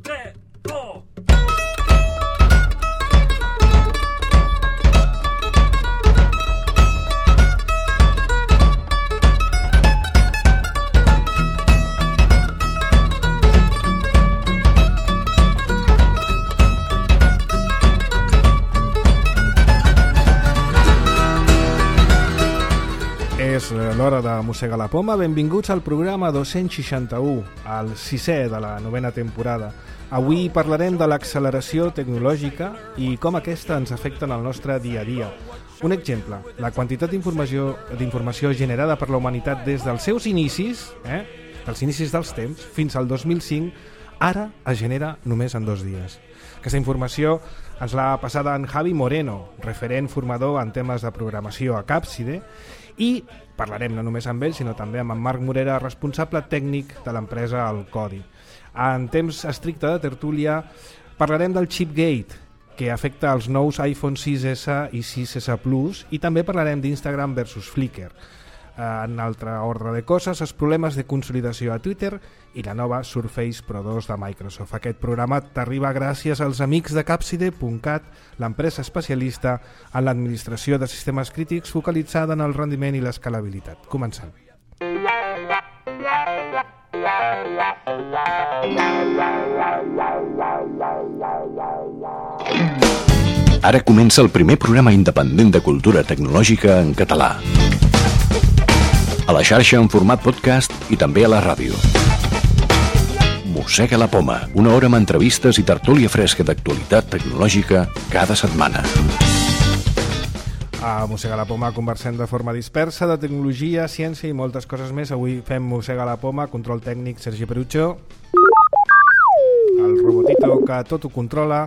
3, 2... És l'hora de mossegar la poma. Benvinguts al programa 261, el 6è de la 9a temporada. Avui parlarem de l'acceleració tecnològica i com aquesta ens afecta en el nostre dia a dia. Un exemple, la quantitat d'informació generada per la humanitat des dels seus inicis, dels inicis dels temps, fins al 2005, ara es genera només en 2 dies. Aquesta informació ens l'ha passada en Javi Moreno, referent formador en temes de programació a Capside, i parlarem no només amb ell, sinó també amb en Marc Morera, responsable tècnic de l'empresa El Codi. En temps estricte de tertúlia parlarem del Chipgate, que afecta els nous iPhone 6S i 6S Plus, i també parlarem d'Instagram versus Flickr. En altre ordre de coses, els problemes de consolidació a Twitter i la nova Surface Pro 2 de Microsoft. Aquest programa t'arriba gràcies als amics de Capside.cat, l'empresa especialista en l'administració de sistemes crítics focalitzada en el rendiment i l'escalabilitat. Comencem. Ara comença el primer programa independent de cultura tecnològica en català. A la xarxa en format podcast i també a la ràdio. Mossega la poma, una hora amb entrevistes i tertúlia fresca d'actualitat tecnològica cada setmana. A Mossega la poma conversem de forma dispersa de tecnologia, ciència i moltes coses més. Avui fem Mossega la poma, control tècnic Sergi Perucho, el robotito que tot ho controla,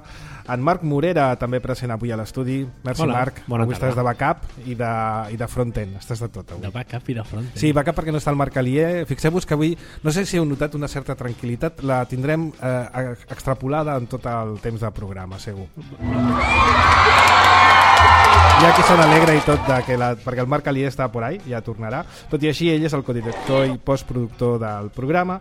en Marc Morera, també present avui a l'estudi. Merci. Hola, Marc, avui estàs de backup i de front-end, estàs de tot avui. De backup i de front-end. Sí, backup perquè no està el Marc Alier. Fixeu-vos que avui, no sé si heu notat una certa tranquil·litat, la tindrem extrapolada en tot el temps de programa, segur. Ja que se n'alegra i tot perquè el Marc Alier està por ahí, ja tornarà. Tot i així, ell és el codirector i postproductor del programa.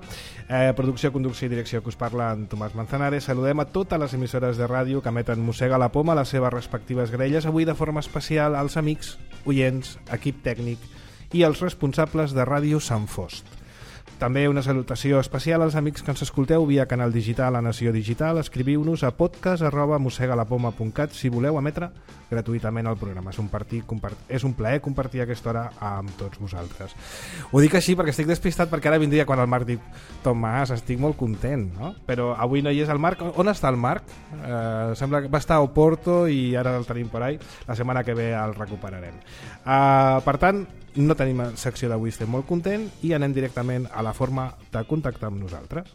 Producció, conducció i direcció que us parla en Tomàs Manzanares. Saludem a totes les emissores de ràdio que emeten Mossega la poma a les seves respectives grelles, avui de forma especial als amics, oients, equip tècnic i els responsables de Ràdio Sant Fost. També una salutació especial als amics que ens escolteu via canal digital a Nació Digital. Escriviu-nos a podcast@mossegalapoma.cat si voleu emetre gratuïtament el programa. És un plaer compartir aquesta hora amb tots vosaltres. Ho dic així perquè estic despistat, perquè ara vindria quan el Marc diu Tomàs, estic molt content, no? Però avui no hi és el Marc. On està el Marc? Sembla que va estar a Oporto i ara el tenim por ahí. La setmana que ve el recuperarem. Per tant, no tenim secció d'avui, estem molt content i anem directament a la forma de contactar amb nosaltres.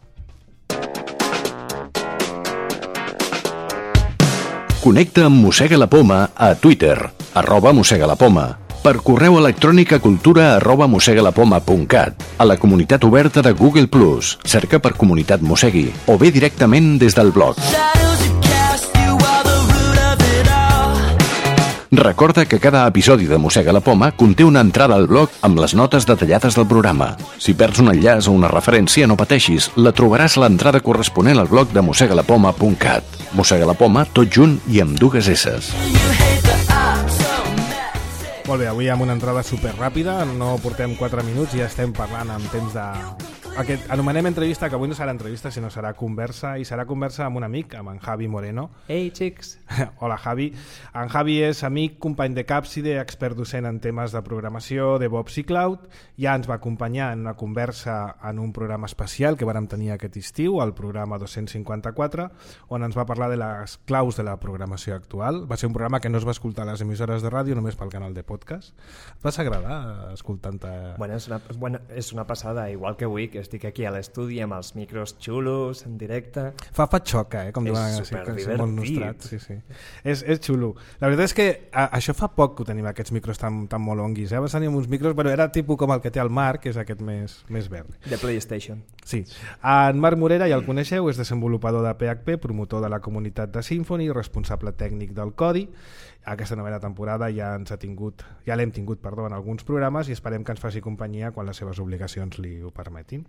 Connecta amb Mossega la poma a Twitter, @mossegalapoma, per correu electrònic a cultura@mossegalapoma.cat, a la comunitat oberta de Google+, cerca per Comunitat Mossegui, o bé directament des del blog. Recorda que cada episodi de Mossega la poma conté una entrada al blog amb les notes detallades del programa. Si perds un enllaç o una referència, no pateixis, la trobaràs a l'entrada corresponent al blog de mossegalapoma.cat. Mossega la poma, tot junt i amb 2 esses. Molt bé, avui amb una entrada superràpida, no portem 4 minuts i ja estem parlant en temps de... Anomenem entrevista, que avui no serà entrevista, sinó serà conversa, i serà conversa amb un amic, amb en Javi Moreno. Ei, xics! Hola, Javi. En Javi és amic, company de Capside, expert docent en temes de programació, DevOps i Cloud. Ja ens va acompanyar en una conversa en un programa especial que vàrem tenir aquest estiu, el programa 254, on ens va parlar de les claus de la programació actual. Va ser un programa que no es va escoltar a les emissores de ràdio, només pel canal de podcast. Et vas agradar escoltant-te? Bueno, és una passada, igual que avui, que estic aquí a l'estudi amb els micros xulos, en directe. Fa xoca, com diuen, és superdivertit. Sí. És xulo. La veritat és que això fa poc que ho tenim, aquests micros tan molonguis. Abans teníem uns micros, però era tipus com el que té el Marc, que és aquest més verd. De PlayStation. Sí. En Marc Morera, ja el coneixeu, és desenvolupador de PHP, promotor de la comunitat de Symfony, responsable tècnic del Codi. Aquesta novena temporada ja l'hem tingut en alguns programes i esperem que ens faci companyia quan les seves obligacions li ho permetin.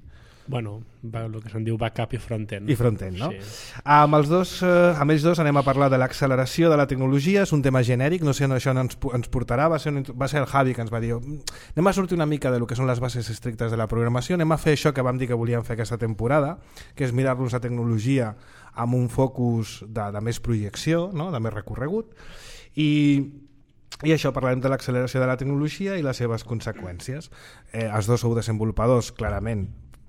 Bueno, el que se'n diu backup i front-end. I front-end, no? Sí. Amb ells dos anem a parlar de l'acceleració de la tecnologia. És un tema genèric, no sé on això ens portarà. Va ser el Javi que ens va dir anem a sortir una mica de lo que són les bases estrictes de la programació, anem a fer això que vam dir que volíem fer aquesta temporada, que és mirar-nos la tecnologia amb un focus de més projecció, no? De més recorregut, i això, parlarem de l'acceleració de la tecnologia i les seves conseqüències. Els dos sou desenvolupadors, clarament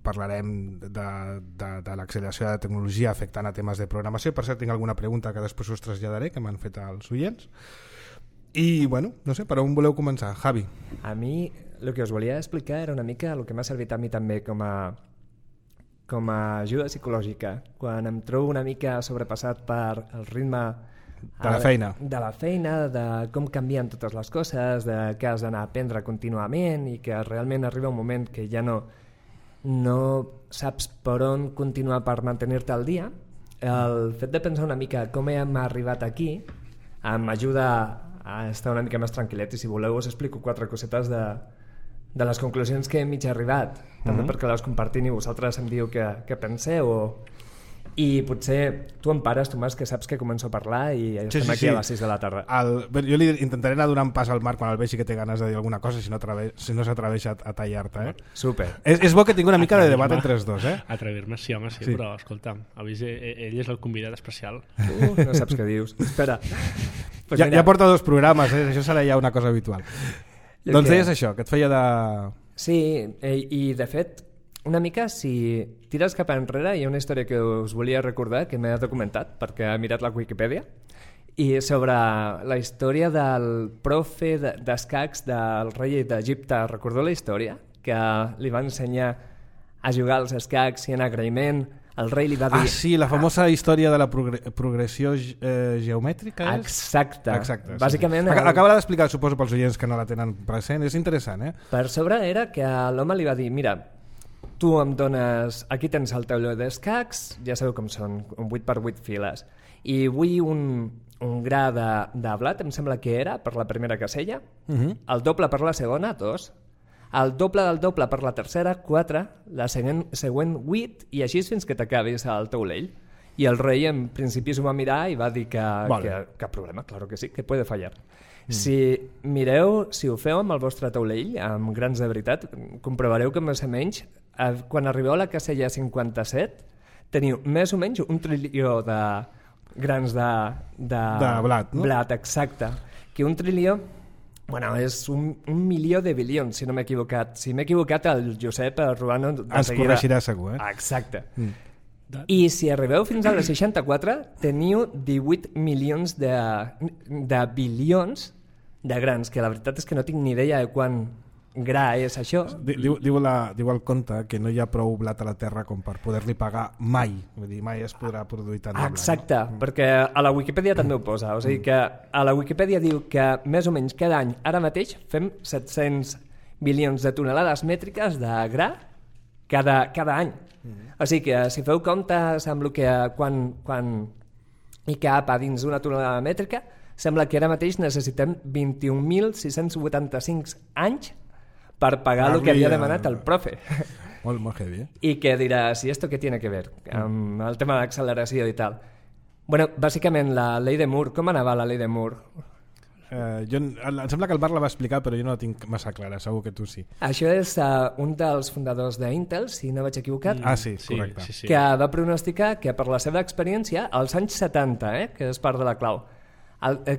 parlarem de l'acceleració de la tecnologia afectant a temes de programació. Per cert, tinc alguna pregunta que després us traslladaré, que m'han fet els oients. I, bueno, no sé, per on voleu començar? Javi. A mi, el que us volia explicar era una mica el que m'ha servit a mi també com a ajuda psicològica. Quan em trobo una mica sobrepassat per el ritme de la feina, de com canvien totes les coses, de que has d'anar a aprendre contínuament i que realment arriba un moment que ja no saps per on continuar per mantenir-te al dia. El fet de pensar una mica com hem arribat aquí m'ajuda a estar una mica més tranquil·let, i si voleu us explico 4 cosetes de les conclusions que he mig arribat, també perquè les compartim i vosaltres em diu què penseu, i potser tu em pares, Tomàs, que saps que començo a parlar i estem aquí a les 6 de la tarda. Jo li intentaré anar donant pas al Marc quan el vegi que té ganes de dir alguna cosa, si no s'atreveix a tallar-te. Super. És bo que tingui una mica de debat entre els dos. Atrevir-me, sí, home, sí, però escolta'm, ell és el convidat especial. No saps què dius. Espera. Pues ja porta 2 programes, això serà ja una cosa habitual. Doncs deies això, que et feia de... Sí, i de fet, una mica, si tires cap enrere, hi ha una història que us volia recordar, que m'he documentat, perquè he mirat la Wikipedia, i sobre la història del profe d'escacs del rei d'Egipte. Recordeu la història? Que li va ensenyar a jugar als escacs i en agraïment el rei li va dir... Sí, la famosa història de la progressió geomètrica, és? Exacte. Bàsicament... Sí. Acaba d'explicar, suposo, pels oients que no la tenen present. És interessant, Per sobre era que l'home li va dir, mira, tu em dones... Aquí tens el tauló d'escacs, ja sabeu com són, 8x8 files, i vull un gra de blat, em sembla que era, per la primera casella, el doble per la segona, 2, el doble del doble per la tercera, 4, la següent 8, i així fins que t'acabis el taulell. I el rei en principi s'ho va mirar i va dir que cap problema, claro que sí, que puede fallar. Si ho feu amb el vostre taulell, amb grans de veritat, comprovareu que més o menys, quan arribeu a la casella 57, teniu més o menys 1 trilió de grans de blat, no? Blat, exacte. Que 1 trilió... Bueno, és 1 milió de bilions, si no m'he equivocat. Si m'he equivocat, el Josep Ruano... Ens corregirà segur, Exacte. I si arribeu fins a la 64, teniu 18 milions de bilions de grans, que la veritat és que no tinc ni idea de quan gra és això. Diu el conte que no hi ha prou blat a la terra com per poder-li pagar mai. Vull dir, mai es podrà produir tant de blat. Exacte, perquè a la Wikipedia també ho posa. O sigui que a la Wikipedia diu que més o menys cada any, ara mateix, fem 700 bilions de tonelades mètriques de gra cada any. O sigui que si feu comptes amb el que quan hi cap a dins d'una tonelada mètrica, sembla que ara mateix necessitem 21.685 anys per pagar el que havia demanat el profe. Molt heavy, I que diràs, ¿y esto qué tiene que ver? Amb el tema de l'acceleració i tal. Bueno, bàsicament la llei de Moore, com anava la llei de Moore? Em sembla que el Marc la va explicar, però jo no la tinc massa clara, segur que tu sí. Això és un dels fundadors d'Intel, si no vaig equivocat, sí, correcte. Sí. Que va pronosticar que per la seva experiència, als anys 70, que és part de la clau,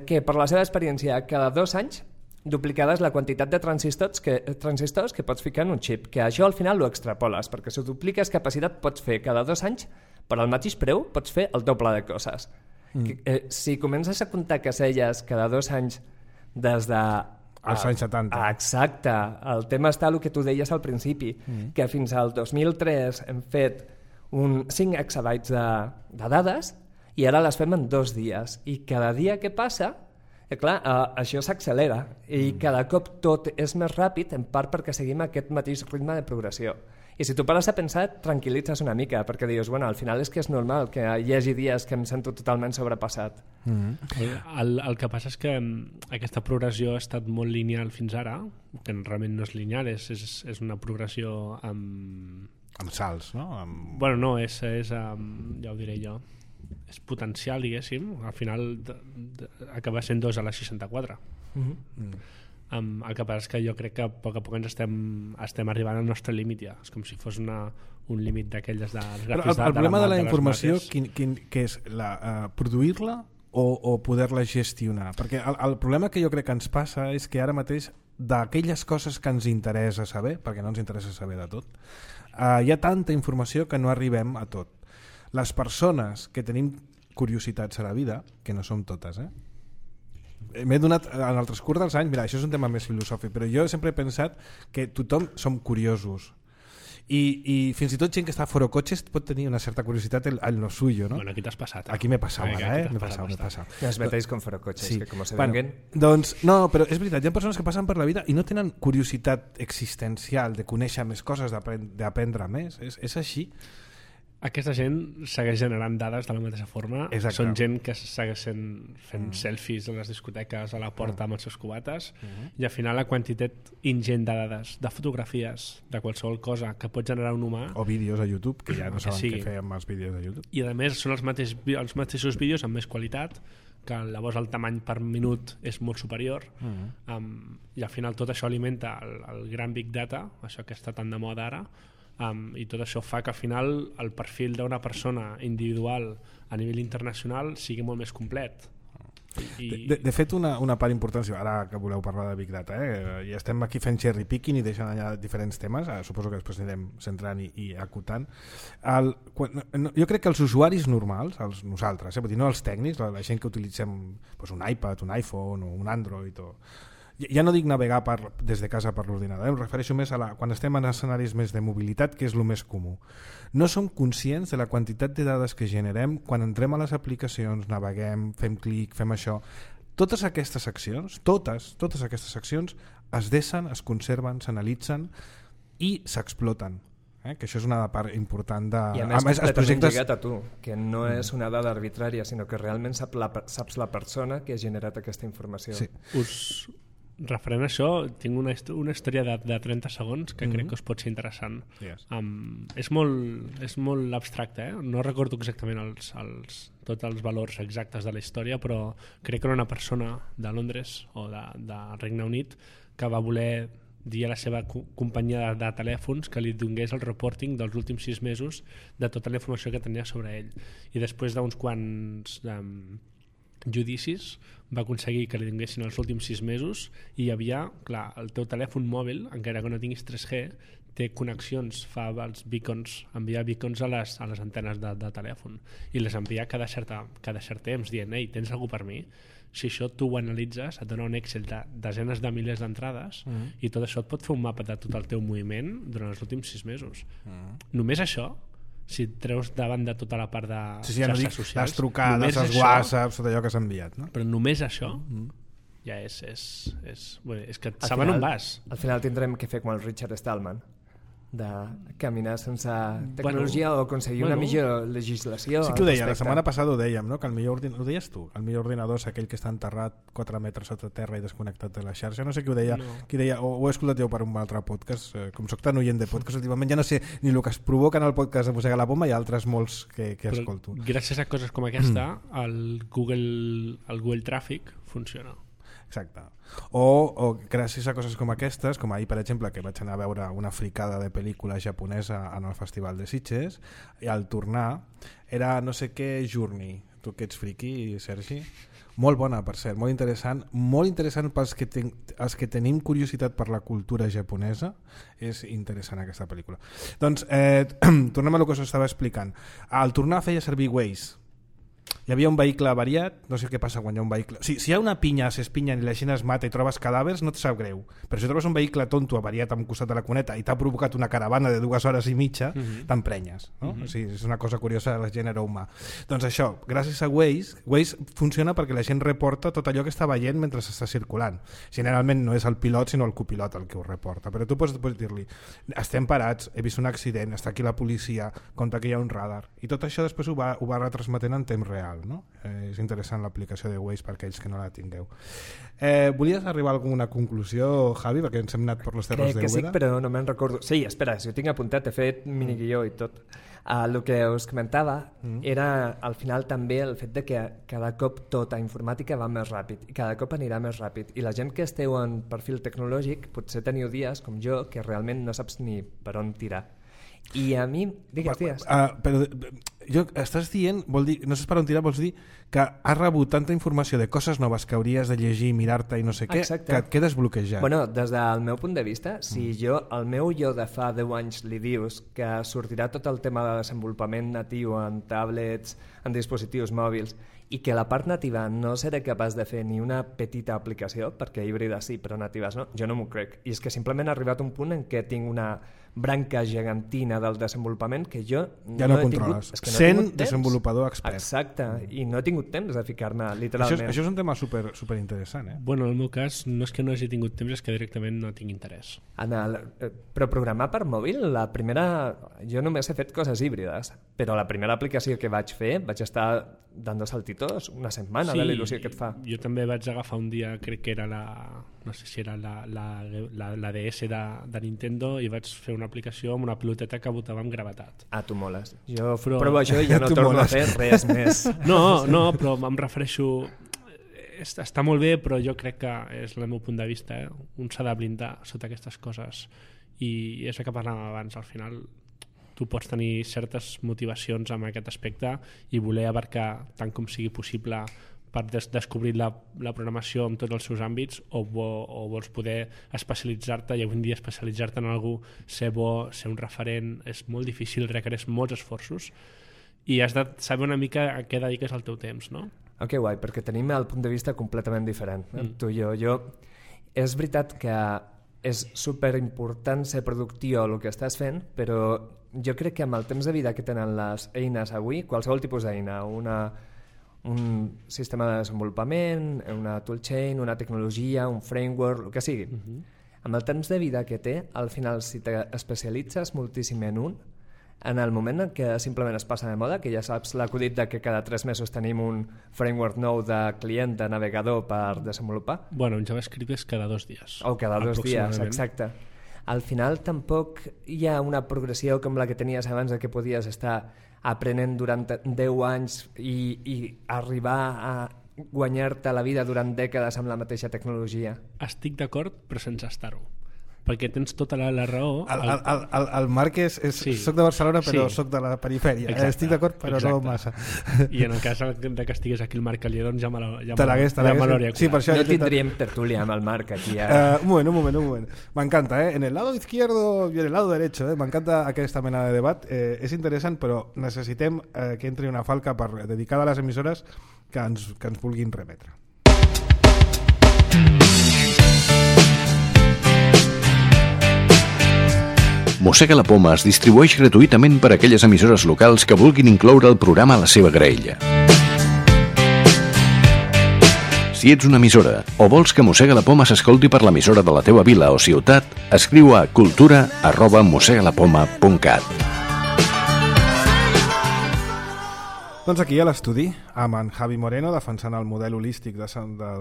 que per la seva experiència cada 2 anys duplicades la quantitat de transistors que pots ficar en un xip, que això al final ho extrapoles, perquè si dupliques capacitat pots fer cada 2 anys, per al mateix preu pots fer el doble de coses. Si comences a comptar caselles cada 2 anys des de... als anys 70. Exacte, el tema està el que tu deies al principi, que fins al 2003 hem fet 5 exabytes de dades i ara les fem en 2 dies, i cada dia que passa clar, això s'accelera i cada cop tot és més ràpid, en part perquè seguim aquest mateix ritme de progressió. I si tu pares a pensar, et tranquil·litzes una mica, perquè dius, bueno, al final és que és normal que hi hagi dies que em sento totalment sobrepassat. El que passa és que aquesta progressió ha estat molt lineal fins ara, que realment no és lineal, és una progressió amb salts, no? Bueno, no, és ja ho diré jo, és potencial, diguéssim. Al final acaba sent 2 a la 64. El que passa és que jo crec que a poc ens estem arribant al nostre límit ja. És com si fos un límit d'aquelles de... Però el problema de la informació que és produir-la o poder-la gestionar, perquè el problema que jo crec que ens passa és que ara mateix d'aquelles coses que ens interessa saber, perquè no ens interessa saber de tot, hi ha tanta informació que no arribem a tot. Les persones que tenim curiositats a la vida, que no som totes, m'he donat en el transcurs dels anys, mira, això és un tema més filosòfic, però jo sempre he pensat que tothom som curiosos i fins i tot gent que està fora cotxes pot tenir una certa curiositat en lo suyo, ¿no? Bueno, aquí t'has passat. Aquí m'he passat, m'he passat. Ja es metéis con fora cotxes, sí. que com se bueno, venguen... Doncs no, però és veritat, hi ha persones que passen per la vida i no tenen curiositat existencial de conèixer més coses, d'aprendre més, és així. Aquesta gent segueix generant dades de la mateixa forma. Exacte. Són gent que segueixen fent selfies a les discoteques a la porta amb els seus cubates i al final la quantitat ingent de dades, de fotografies, de qualsevol cosa que pot generar un humà, o vídeos a YouTube, que ja no saben sigui. què fer amb els vídeos de YouTube. I a més són els mateixos vídeos amb més qualitat, que llavors el tamany per minut és molt superior, i al final tot això alimenta el gran Big Data, això que està tan de moda ara, i tot això fa que al final el perfil d'una persona individual a nivell internacional sigui molt més complet. De fet, una part important, ara que voleu parlar de Big Data, i estem aquí fent cherry picking i deixant allà diferents temes, suposo que després anirem centrant i acotant. Jo crec que els usuaris normals, nosaltres, vull dir, no els tècnics, la gent que utilitzem un iPad, un iPhone o un Android, ja no dic navegar des de casa per l'ordinador, em refereixo més a quan estem en escenaris més de mobilitat, que és el més comú. No som conscients de la quantitat de dades que generem quan entrem a les aplicacions, naveguem, fem clic, fem això. Totes aquestes accions, totes aquestes accions es deixen, es conserven, s'analitzen i s'exploten. Que això és una part important de... I a més completament lligat a tu, que no és una dada arbitrària, sinó que realment saps la persona que ha generat aquesta informació. Sí. Referent a això, tinc una història de 30 segons que crec que us pot ser interessant. Yes. És molt abstracte, no recordo exactament tots els valors exactes de la història, però crec que era una persona de Londres o de Regne Unit que va voler dir a la seva companyia de telèfons que li donés el reporting dels últims 6 mesos de tota la informació que tenia sobre ell. I després d'uns quants judicis va aconseguir que li donguessin els últims 6 mesos i hi havia, clar, el teu telèfon mòbil, encara que no tinguis 3G, té connexions, fa els beacons, envia beacons a les antenes de telèfon i les envia cada cert temps dient, ei, tens algú per mi? Si això tu ho analitzes, et dona un Excel de desenes de milers d'entrades i tot això et pot fer un mapa de tot el teu moviment durant els últims 6 mesos. Només això, si et treus davant de tota la part de xarxes socials, les trucades, els whatsapps, tot allò que s'ha enviat, no? Però només això ja és que et saben on vas. Al final tindrem que fer com el Richard Stallman, de caminar sense tecnologia o aconseguir una millor legislació. Sí que ho deia, la setmana passada ho dèiem, no? Que ho deies tu, el millor ordinador és aquell que està enterrat 4 metres sota terra i desconnectat de la xarxa, no sé qui ho deia, qui deia, o ho he escoltat jo per un altre podcast, com soc tan oient de podcast últimament ja no sé ni el que es provoca en el podcast de Mossega la Poma i altres molts que escolto. Gràcies a coses com aquesta el Google Traffic funciona. Exacte. O gràcies a coses com aquestes, com ahir per exemple que vaig anar a veure una fricada de pel·lícula japonesa en el Festival de Sitges i al tornar era no sé què Journey, tu que ets friqui, Sergi, molt bona per cert, molt interessant pels els que tenim curiositat per la cultura japonesa, és interessant aquesta pel·lícula. Doncs tornem a el que us estava explicant. Al tornar feia servir Waze. Hi havia un vehicle avariat, no sé què passa quan hi ha un vehicle... Si hi ha una pinya, s'espinyen i la gent es mata i trobes cadàvers, no et sap greu. Però si trobes un vehicle tonto avariat a un costat de la cuneta i t'ha provocat una caravana de 2 hores i mitja, t'emprenyes. No? O sigui, és una cosa curiosa del gènere humà. Doncs això, gràcies a Waze funciona perquè la gent reporta tot allò que està veient mentre s'està circulant. Generalment no és el pilot, sinó el copilot el que ho reporta. Però tu pots dir-li, estem parats, he vist un accident, està aquí la policia, compta que hi ha un radar. I tot això després ho va retransmetent en temps real. real, no? És interessant l'aplicació de Waze per aquells que no la tingueu. Volies arribar a alguna conclusió, Javi, perquè ens hem anat per les terres de Crec que sí, Úbeda? però no me'n recordo. Sí, espera, si ho tinc apuntat, he fet miniguió i tot. El que us comentava era al final també el fet de que cada cop tota informàtica va més ràpid i cada cop anirà més ràpid. I la gent que esteu en perfil tecnològic potser teniu dies, com jo, que realment no saps ni per on tirar. I a mi... Digues. Però estàs dient, vol dir, no saps per on tirar, vols dir que has rebut tanta informació de coses noves que hauries de llegir, mirar-te i no sé què, Exacte. que et quedes bloquejat. Bueno, des del meu punt de vista, si el meu jo de fa 10 anys li dius que sortirà tot el tema de desenvolupament natiu en tablets, en dispositius mòbils, i que la part nativa no seré capaç de fer ni una petita aplicació, perquè híbrides sí, però natives no, jo no m'ho crec. I és que simplement ha arribat un punt en què tinc una branca gegantina del desenvolupament que jo ja no controles. És que no he Sent tingut temps. desenvolupador expert. Exacte, i no he tingut temps de ficar-me, literalment. Això és un tema super interessant, Bueno, en el meu cas no és que no hagi tingut temps, és que directament no tinc interès. Però programar per mòbil, la primera... Jo només he fet coses híbrides, però la primera aplicació que vaig fer vaig estar dando saltitos una setmana de la il·lusió que et fa. Jo també vaig agafar un dia, crec que era no sé si era la DS de Nintendo, i vaig fer una aplicació amb una piloteta que botava amb gravetat. Tu moles. Jo Però- provo això i ja no torno a fer res més. No, però em refereixo... Està molt bé, però jo crec que és el meu punt de vista. Un s'ha de blindar sota aquestes coses. I és el que parlàvem abans. Al final, tu pots tenir certes motivacions en aquest aspecte i voler abarcar tant com sigui possible per descobrir la programació en tots els seus àmbits, o vols poder especialitzar-te, i avui en dia especialitzar-te en algú, ser bo, ser un referent, és molt difícil, requereix molts esforços, i has de saber una mica a què dediques el teu temps, no? Que guai, perquè tenim el punt de vista completament diferent. Tu i jo. És veritat que és superimportant ser productiu el que estàs fent, però jo crec que amb el temps de vida que tenen les eines avui, qualsevol tipus d'eina, un sistema de desenvolupament, una toolchain, una tecnologia, un framework, el que sigui. Amb el temps de vida que té, al final, si t'especialitzes moltíssim en un, en el moment en què simplement es passa de moda, que ja saps l'acudit de que cada 3 mesos tenim un framework nou de client, de navegador per desenvolupar. Bueno, en JavaScript és cada 2 dies. O cada 2 dies, exacte. Al final tampoc hi ha una progressió com la que tenies abans, de que podies estar aprenent durant 10 anys i arribar a guanyar-te la vida durant dècades amb la mateixa tecnologia. Estic d'acord, però sense estar-ho. Perquè tens tota la raó. El Marc Sí. soc de Barcelona, però Sí. soc de la perifèria. Exacte, Estic d'acord, però exacte. no massa. I en el cas de que estigués aquí el Marc Alier, doncs ja me Te l'hagués. l'hauria Sí, per això No tindríem tertúlia amb el Marc aquí ara. un moment. M'encanta, en el lado izquierdo y en el lado derecho. M'encanta aquesta mena de debat. És interessant, però necessitem que entri una falca dedicada a les emissores que ens vulguin remetre. Mossega la Poma es distribueix gratuïtament per a aquelles emissores locals que vulguin incloure el programa a la seva graella. Si ets una emissora o vols que Mossega la Poma s'escolti per l'emissora de la teva vila o ciutat, escriu a cultura@mossegalapoma.cat. Doncs aquí a l'estudi, amb en Javi Moreno defensant el model holístic de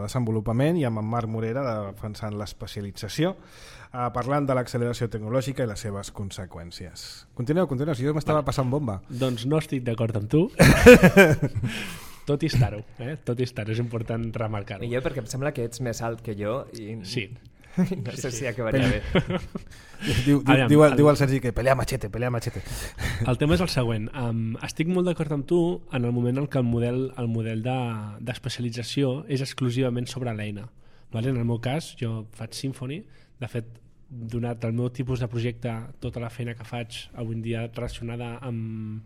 desenvolupament i amb en Marc Morera defensant l'especialització, parlant de l'acceleració tecnològica i les seves conseqüències. Continueu, si jo m'estava passant bomba. Doncs no estic d'acord amb tu. Tot i estar-ho, tot i estar-ho, és important remarcar-ho. I jo perquè em sembla que ets més alt que jo i Sí. no sé si acabaria bé. Diu el Sergi que pelea machete. El tema és el següent. Estic molt d'acord amb tu en el moment en què el model d'especialització és exclusivament sobre l'eina. Vale? En el meu cas, jo faig Symfony. De fet, donat el meu tipus de projecte, tota la feina que faig avui en dia relacionada amb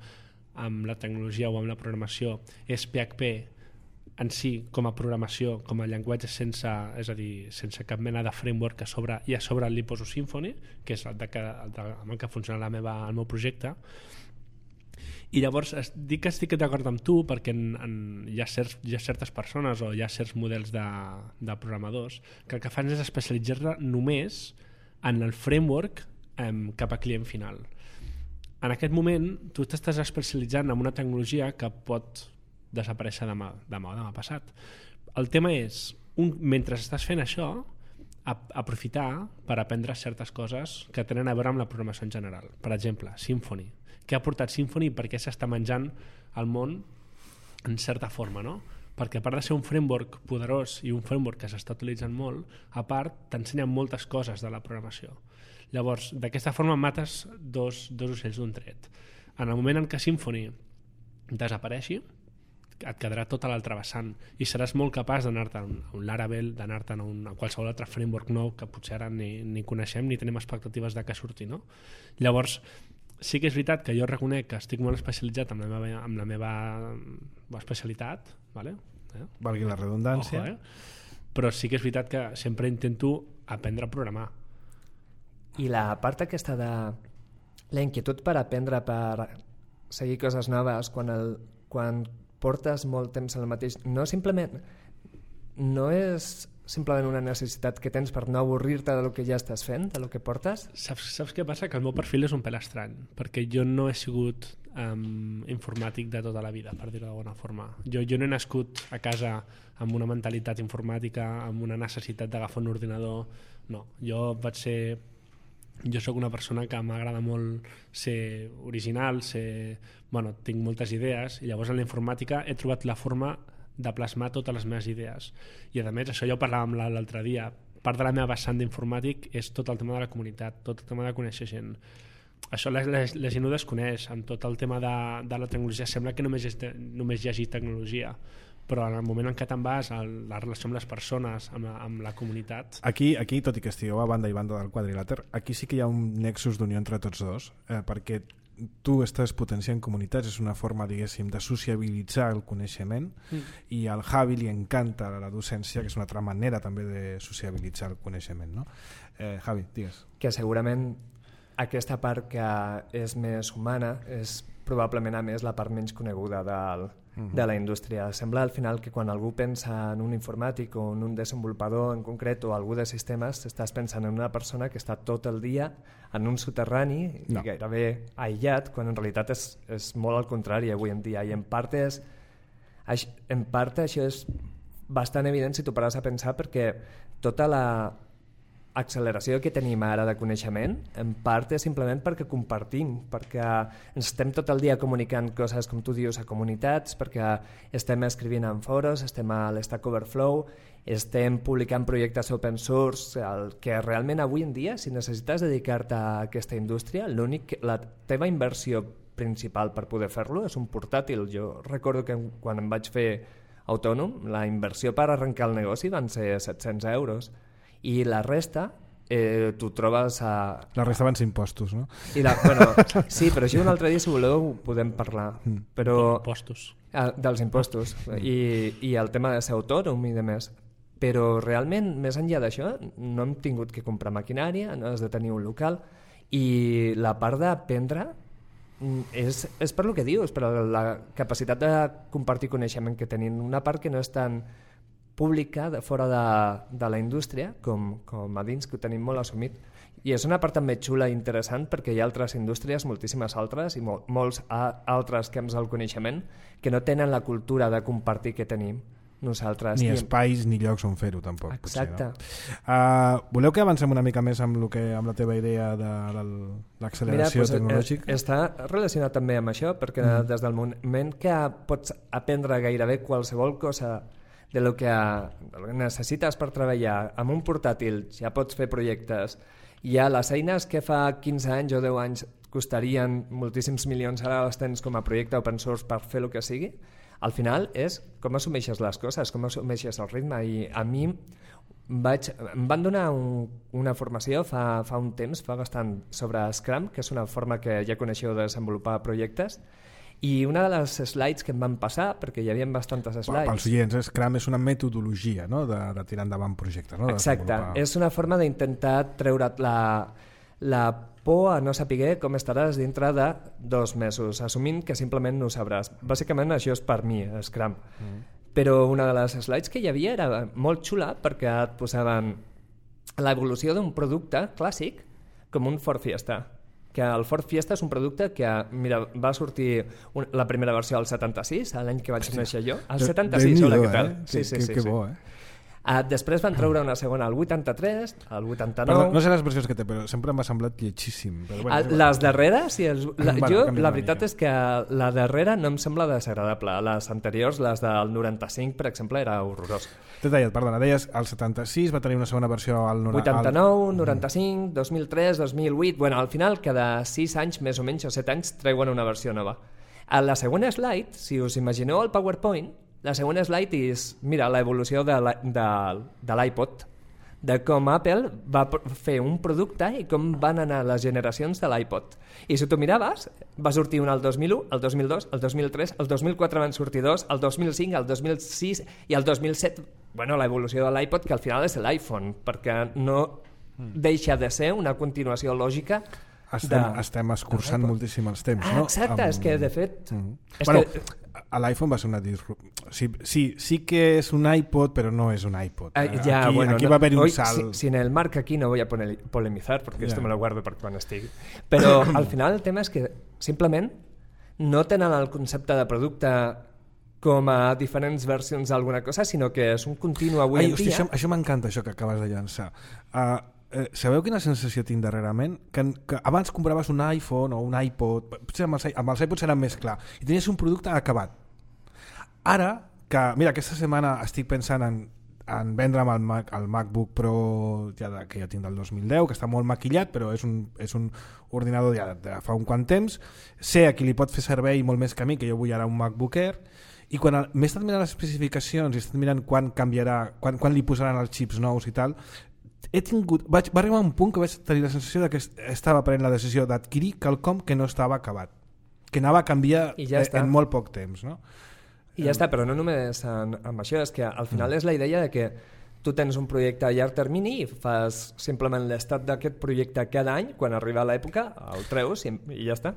la tecnologia o amb la programació és PHP en si com a programació, com a llenguatge sense cap mena de framework, i a sobre li poso Symfony, que és amb el que funciona el meu projecte. I llavors dic que estic d'acord amb tu perquè hi ha certes persones o hi ha certs models de programadors que el que fan és especialitzar-se només en el framework cap a client final. En aquest moment tu t'estàs especialitzant en una tecnologia que pot desaparèixer demà passat. El tema és, mentre estàs fent això, aprofitar per aprendre certes coses que tenen a veure amb la programació en general. Per exemple, Symfony. Què ha portat Symfony i per què s'està menjant el món en certa forma, no? Perquè a part de ser un framework poderós i un framework que s'està utilitzant molt, a part t'ensenya moltes coses de la programació. Llavors, d'aquesta forma mates dos ocells d'un tret. En el moment en què Symfony desapareixi, et quedarà tota l'altra vessant i seràs molt capaç d'anar-te a un Laravel, d'anar-te a qualsevol altre framework nou que potser ara ni coneixem ni tenim expectatives de que surti, no? Llavors, sí que és veritat que jo reconec que estic molt especialitzat amb la meva especialitat, ¿vale? Valgui la redundància. Ojo, però sí que és veritat que sempre intento aprendre a programar. I la part aquesta de la inquietud per aprendre, per seguir coses noves, quan portes molt temps en el mateix... No és simplement una necessitat que tens per no avorrir-te del que ja estàs fent, del que portes? Saps què passa? Que el meu perfil és un pèl estrany, perquè jo no he sigut informàtic de tota la vida, per dir-ho d'alguna forma. Jo no he nascut a casa amb una mentalitat informàtica, amb una necessitat d'agafar un ordinador. No, jo sóc una persona que m'agrada molt ser original, tinc moltes idees, i llavors en la informàtica he trobat la forma de plasmar totes les meves idees. I a més, això ja ho parlàvem l'altre dia, part de la meva vessant d'informàtic és tot el tema de la comunitat, tot el tema de conèixer gent. Això la gent ho desconeix, amb tot el tema de la tecnologia sembla que només hi hagi tecnologia, però en el moment en què te'n vas a la relació amb les persones, amb la comunitat... Aquí, tot i que estigueu a banda i banda del quadrilàter, aquí sí que hi ha un nexus d'unió entre tots dos, perquè tu estàs potenciant comunitats, és una forma, diguéssim, de sociabilitzar el coneixement, i al Javi li encanta la docència, que és una altra manera també de sociabilitzar el coneixement, no? Javi, digues. Que segurament aquesta part que és més humana és probablement a més la part menys coneguda de la indústria. Sembla al final que quan algú pensa en un informàtic o en un desenvolupador en concret o algú de sistemes, estàs pensant en una persona que està tot el dia en un soterrani i gairebé aïllat, quan en realitat és molt al contrari avui en dia, i en part això és bastant evident si t'ho pares a pensar, perquè tota la acceleració que tenim ara de coneixement en part és simplement perquè compartim, perquè ens estem tot el dia comunicant coses, com tu dius, a comunitats, perquè estem escrivint en foros, estem a l'Stack Overflow, estem publicant projectes open source, el que realment avui en dia, si necessites dedicar-te a aquesta indústria, la teva inversió principal per poder fer-lo és un portàtil. Jo recordo que quan em vaig fer autònom, la inversió per arrencar el negoci van ser 700 euros, i la resta t'ho trobes a... La resta van ser impostos, no? Sí, però això un altre dia, si voleu, podem parlar. Però... Impostos. Dels impostos. I el tema de ser autònom i de més. Però realment, més enllà d'això, no hem tingut que comprar maquinària, no has de tenir un local, i la part d'aprendre és per lo que dius, per la capacitat de compartir coneixement que tenim. Una part que no és tan pública de fora de la indústria com a dins, que ho tenim molt assumit, i és una part també xula i interessant perquè hi ha altres indústries, moltíssimes altres i molts altres camps del coneixement que no tenen la cultura de compartir que tenim nosaltres. Ni espais ni llocs on fer-ho tampoc. Exacte. Potser, no? Voleu que avancem una mica més amb la teva idea de l'acceleració tecnològica? Està relacionat també amb això, perquè des del moment que pots aprendre gairebé qualsevol cosa de lo que necessites per treballar amb un portàtil, ja pots fer projectes. Ja les eines que fa 15 anys o 10 anys costarien moltíssims milions, ara les tens com a projecte open source per fer el que sigui. Al final és com assumeixes les coses, com assumeixes el ritme. I a mi em van donar una formació fa un temps, fa bastant, sobre Scrum, que és una forma que ja coneixeu de desenvolupar projectes. I una de les slides que em van passar, perquè hi havia bastantes slides... Pels oients, Scrum és una metodologia, no?, de tirar endavant projectes. No? Exacte, és una forma d'intentar treure't la por a no saber com estaràs dintre de 2 mesos, assumint que simplement no ho sabràs. Bàsicament això és per mi, Scrum. Però una de les slides que hi havia era molt xula perquè et posaven l'evolució d'un producte clàssic com un Ford Fiesta. que el Ford Fiesta és un producte que, mira, va sortir la primera versió al 76, l'any que vaig néixer jo. Al 76, hola, què tal? Que bo, Després van treure una segona al 83, al 89... Perdó, no sé les versions que té, però sempre m'ha semblat lletjíssim. Però bueno, les darreres, la veritat és que la darrera no em sembla desagradable. Les anteriors, les del 95, per exemple, era horrorós. T'he tallat, perdona, deies al 76, va tenir una segona versió al 89, 95, 2003, 2008... Bueno, al final, cada 6 anys, més o menys, o 7 anys, treuen una versió nova. A la segona slide, si us imagineu el PowerPoint, la segona slide és, mira, l'evolució de l'iPod, de com Apple va fer un producte i com van anar les generacions de l'iPod. I si tu miraves, va sortir un al 2001, el 2002, el 2003, el 2004 van sortir dos, el 2005, el 2006 i el 2007, bueno, l'evolució de l'iPod, que al final és l'iPhone, perquè no deixa de ser una continuació lògica. Estem escurçant moltíssim els temps, no? Exacte, és que de fet... Bueno, a l'iPhone va ser una disrupció. Sí que és un iPod, però no és un iPod. Aquí va haver un salt. Si en el Marc aquí no voy a polemizar, porque esto me lo guardo per quan estigui. Però al final el tema és que simplement no tenen el concepte de producte com a diferents versions d'alguna cosa, sinó que és un continu avui en dia. Això m'encanta, això que acabes de llançar. Sabeu quina sensació tinc darrerament? Que abans compraves un iPhone o un iPod, potser amb els iPods era més clar, i tenies un producte acabat. Ara, que mira, aquesta setmana estic pensant en vendre'm el MacBook Pro que ja tinc del 2010, que està molt maquillat, però és un ordinador ja de fa un quant temps, sé a qui li pot fer servei molt més que a mi, que jo vull ara un MacBook Air, i quan m'he estat mirant les especificacions i he estat mirant quan canviarà, quan li posaran els xips nous i tal, va arribar un punt que vaig tenir la sensació que estava prenent la decisió d'adquirir quelcom que no estava acabat, que anava a canviar en molt poc temps, no? I ja està, però no només amb això, és que al final és la idea de que tu tens un projecte a llarg termini i fas simplement l'estat d'aquest projecte cada any, quan arriba l'època el treus i ja està.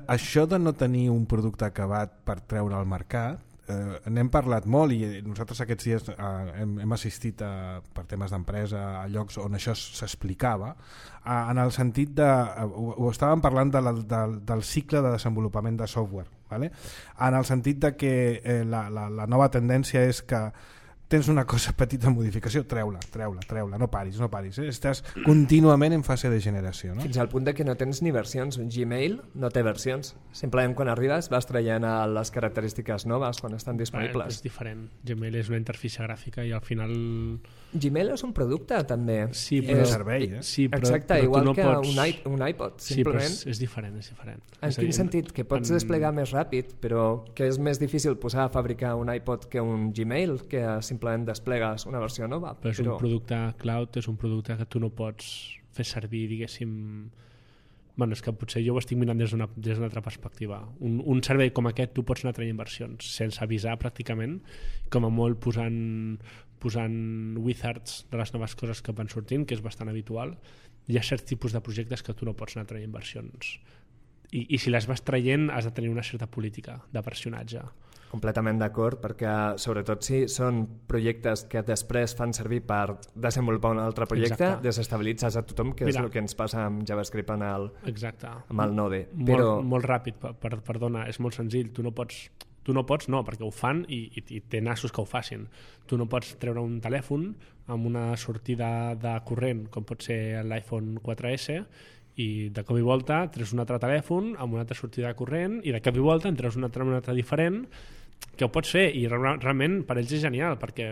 Això de no tenir un producte acabat per treure al mercat, n'hem parlat molt i nosaltres aquests dies hem assistit per temes d'empresa a llocs on això s'explicava, en el sentit de, ho estàvem parlant del cicle de desenvolupament de software, ¿vale? En el sentit de que la nova tendència és que tens una cosa petita modificació, treu-la, no paris, estàs contínuament en fase de generació, no? Fins al punt de que no tens ni versions. Gmail no té versions, simplement quan arribes vas traient les característiques noves quan estan disponibles. És diferent, Gmail és una interfície gràfica i al final... Gmail és un producte també. Sí, però és servei, Sí, però, exacte, però igual no que pots... un iPod, sí, simplement. Sí, però és diferent. En quin sentit? Que pots desplegar més ràpid, però que és més difícil posar a fabricar un iPod que un Gmail, que simplement desplegues una versió nova. Però és un producte cloud, és un producte que tu no pots fer servir, diguéssim... Bueno, és que potser jo ho estic mirant des d'una altra perspectiva. Un servei com aquest tu pots anar traient versions sense avisar pràcticament, com a molt posant wizards de les noves coses que van sortint, que és bastant habitual. Hi ha certs tipus de projectes que tu no pots anar traient versions. I si les vas traient has de tenir una certa política de versionatge. Completament d'acord, perquè sobretot si són projectes que després fan servir per desenvolupar un altre projecte, desestabilitzes a tothom, que és el que ens passa amb JavaScript amb el Node. Molt ràpid, perdona, és molt senzill. Tu no pots, perquè ho fan i té nassos que ho facin. Tu no pots treure un telèfon amb una sortida de corrent, com pot ser l'iPhone 4S, i de cop i volta treus un altre telèfon amb una altra sortida de corrent i de cop i volta en treus un altre diferent, que ho pots fer i realment per ells és genial, perquè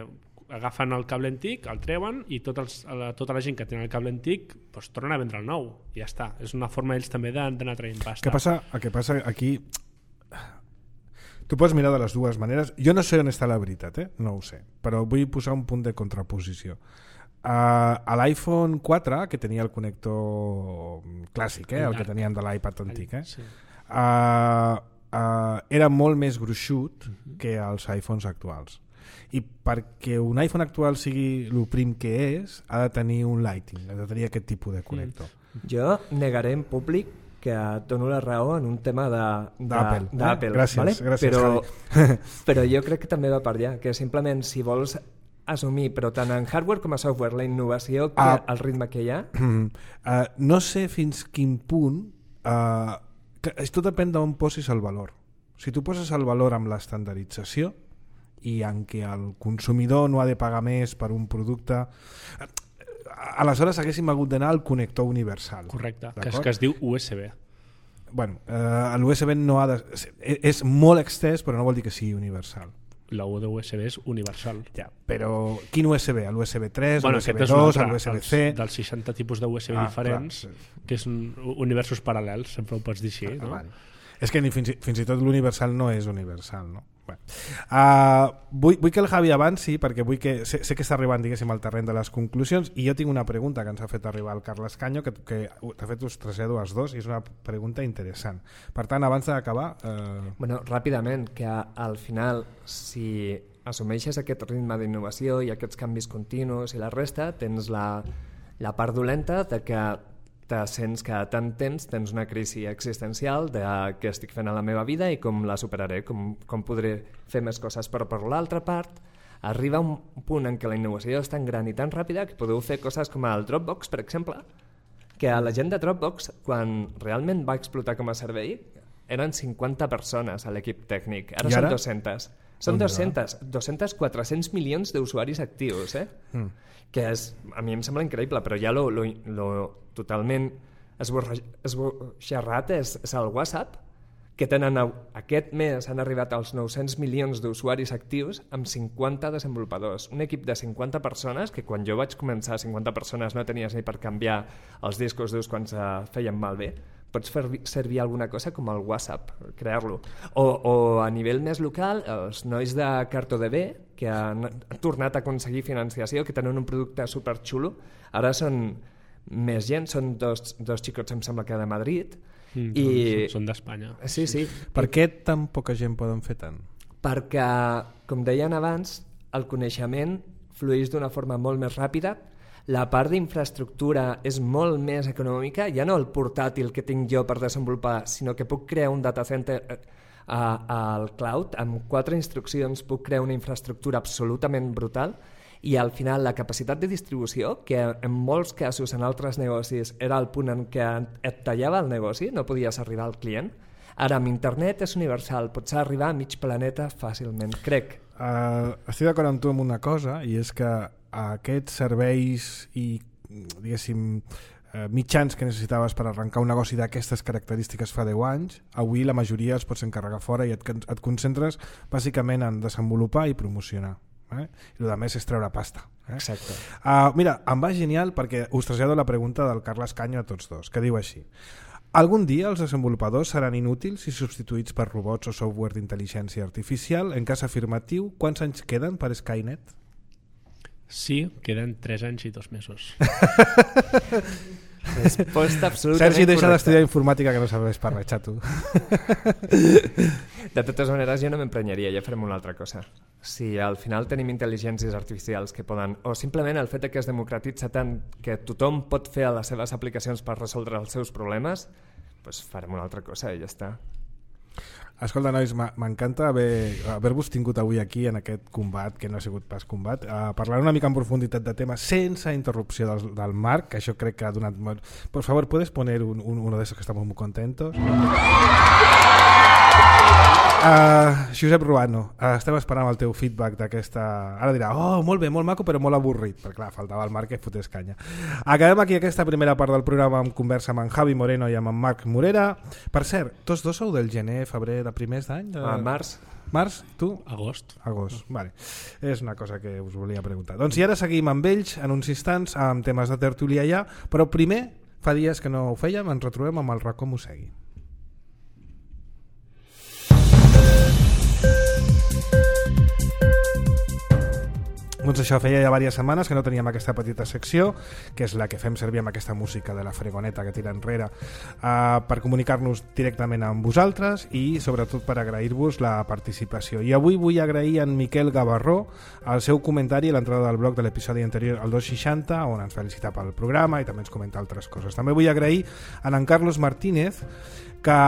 agafen el cable antic, el treuen i tota la gent que tenen el cable antic doncs tornen a vendre el nou i ja està. És una forma ells també d'anar traient pasta. El que passa aquí, tu pots mirar de les dues maneres. Jo no sé on està la veritat, no ho sé, però vull posar un punt de contraposició. A l'iPhone 4, que tenia el connector clàssic, el que tenien de l'iPad antic, sí. Era molt més gruixut que els iPhones actuals. I perquè un iPhone actual sigui el prim que és, ha de tenir un Lightning, ha de tenir aquest tipus de connector. Jo negaré en públic que et dono la raó en un tema d'Apple. Gràcies, però jo crec que també va per allà, que simplement si vols assumir, però tant en hardware com a software, la innovació, el ritme que hi ha... No sé fins quin punt tot depèn d'on posis el valor. Si tu poses el valor amb l'estandardització i en què el consumidor no ha de pagar més per un producte, aleshores haguéssim hagut d'anar al connector universal. Correcte, que es diu USB. Bueno, l'USB no ha de... és molt extès, però no vol dir que sigui universal. La U de USB és universal. Ja, però quin USB? L'USB 3, bueno, l'USB 2, l'USB-C... Dels 60 tipus de USB diferents, clar, que són universos paral·lels, sempre ho pots dir així, no? Vale. És que fins i tot l'universal no és universal, no? Bueno. Vull que el Javi avanci, perquè sé que està arribant, diguéssim, al terreny de les conclusions, i jo tinc una pregunta que ens ha fet arribar el Carles Canyo, que de fet us trasllado als dos, i és una pregunta interessant. Per tant, abans d'acabar... Bueno, ràpidament, que al final, si assumeixes aquest ritme d'innovació i aquests canvis continus i la resta, tens la part dolenta de que te sents que tant temps tens una crisi existencial de què estic fent a la meva vida i com la superaré, com podré fer més coses, però per l'altra part arriba un punt en què la innovació és tan gran i tan ràpida que podeu fer coses com el Dropbox, per exemple, que a la gent de Dropbox, quan realment va explotar com a servei, eren 50 persones a l'equip tècnic, ara són 200. Són 200, 400 milions d'usuaris actius, que a mi em sembla increïble, però ja lo totalment esborxarrat és el WhatsApp, que tenen aquest mes han arribat als 900 milions d'usuaris actius amb 50 desenvolupadors. Un equip de 50 persones, que quan jo vaig començar 50 persones no tenies ni per canviar els discos durs quan se feien malbé. Pots fer servir alguna cosa com el WhatsApp, crear-lo. O a nivell més local, els nois de CartoDB, que han tornat a aconseguir financiació, que tenen un producte superxulo, ara són més gent, són dos xicots, em sembla que de Madrid. Són d'Espanya. Sí. Per què tan poca gent poden fer tant? Perquè, com deien abans, el coneixement flueix d'una forma molt més ràpida, la part d'infraestructura és molt més econòmica, ja no el portàtil que tinc jo per desenvolupar, sinó que puc crear un data center al cloud, amb 4 instruccions puc crear una infraestructura absolutament brutal, i al final la capacitat de distribució, que en molts casos en altres negocis era el punt en què et tallava el negoci, no podies arribar al client, ara amb internet és universal, pots arribar a mig planeta fàcilment, crec. Estic d'acord amb tu amb una cosa, i és que aquests serveis i, diguéssim, mitjans que necessitaves per arrencar un negoci d'aquestes característiques fa 10 anys, avui la majoria els pots encarregar fora i et concentres bàsicament en desenvolupar i promocionar. I el més és treure pasta. Exacte. Mira, em va genial perquè us trasllado la pregunta del Carles Canyo a tots dos, que diu així: algun dia els desenvolupadors seran inútils i substituïts per robots o software d'intel·ligència artificial? En cas afirmatiu, quants anys queden per Skynet? Sí, queden 3 anys i 2 mesos. Resposta absolutament Sergi, deixa correcta. d'estudiar informàtica, que no serveix per res, xato. De totes maneres, jo no m'emprenyaria, ja farem una altra cosa. Si al final tenim intel·ligències artificials que poden, o simplement el fet que es democratitza tant que tothom pot fer les seves aplicacions per resoldre els seus problemes, doncs farem una altra cosa i ja està. Escolta, nois, m'encanta haver-vos tingut avui aquí en aquest combat, que no ha sigut pas combat, parlar una mica en profunditat de temes sense interrupció del Marc, que això crec que ha donat molt... Por favor, ¿puedes poner uno de esos que estamos muy contentos? Josep Ruano, estem esperant el teu feedback d'aquesta... Ara dirà, oh, molt bé, molt maco, però molt avorrit, perquè clar, faltava el Marc que fotés canya. Acabem aquí aquesta primera part del programa amb conversa amb en Javi Moreno i amb en Marc Morera. Per cert, tots dos sou del gener, febrer de primers d'any? Març. Març, tu? Agost. Vale. És una cosa que us volia preguntar. Doncs i ara seguim amb ells en uns instants amb temes de tertúlia ja, però primer, fa dies que no ho fèiem, ens retrobem amb el racó Mosegui. Doncs això, feia ja diverses setmanes que no teníem aquesta petita secció, que és la que fem servir amb aquesta música de la fregoneta que tira enrere, per comunicar-nos directament amb vosaltres i sobretot per agrair-vos la participació. I avui vull agrair a en Miquel Gavarró el seu comentari a l'entrada del blog de l'episodi anterior al 260, on ens felicita pel programa i també ens comenta altres coses. També vull agrair a en Carlos Martínez, que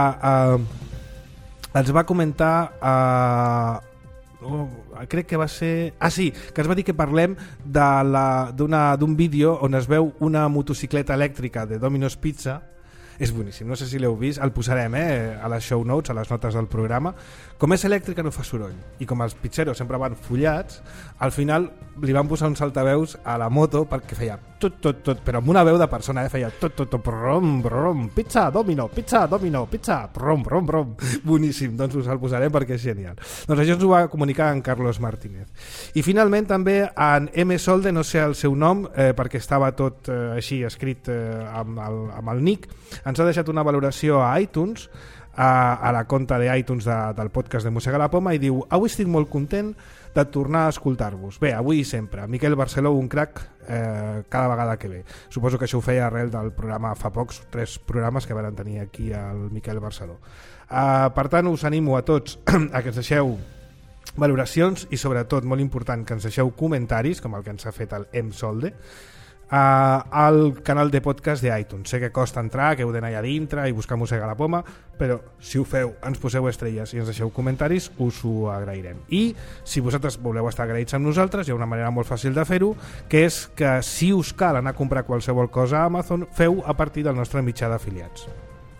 ens va comentar... crec que va ser... que ens va dir que parlem d'un vídeo on es veu una motocicleta elèctrica de Domino's Pizza. És boníssim, no sé si l'heu vist, el posarem a les show notes, a les notes del programa. Com és elèctrica no fa soroll, i com els pitxeros sempre van follats, al final li van posar uns altaveus a la moto perquè feia tot, però amb una veu de persona, feia tot, brom, brom, pizza, domino, pizza, brom, brom, brom. Boníssim, doncs us el posarem perquè és genial. Doncs això ens ho va comunicar en Carlos Martínez. I finalment també en M. Solde, no sé el seu nom, perquè estava tot així escrit amb el nick, ens ha deixat una valoració a iTunes, a la conta d'iTunes del podcast de Mossega la Poma, i diu: avui estic molt content de tornar a escoltar-vos. Bé, avui i sempre. Miquel Barceló, un crac cada vegada que ve. Suposo que això ho feia arrel del programa fa pocs, 3 programes que van tenir aquí el Miquel Barceló. Per tant, us animo a tots a que ens deixeu valoracions i sobretot, molt important, que ens deixeu comentaris, com el que ens ha fet el M. Solde, al canal de podcast d'iTunes. Sé que costa entrar, que heu d'anar allà dintre i buscar Mossega la Poma, però si ho feu, ens poseu estrelles i ens deixeu comentaris, us ho agrairem. I si vosaltres voleu estar agraïts amb nosaltres, hi ha una manera molt fàcil de fer-ho, que és que si us cal anar a comprar qualsevol cosa a Amazon, feu a partir del nostre mitjà d'afiliats,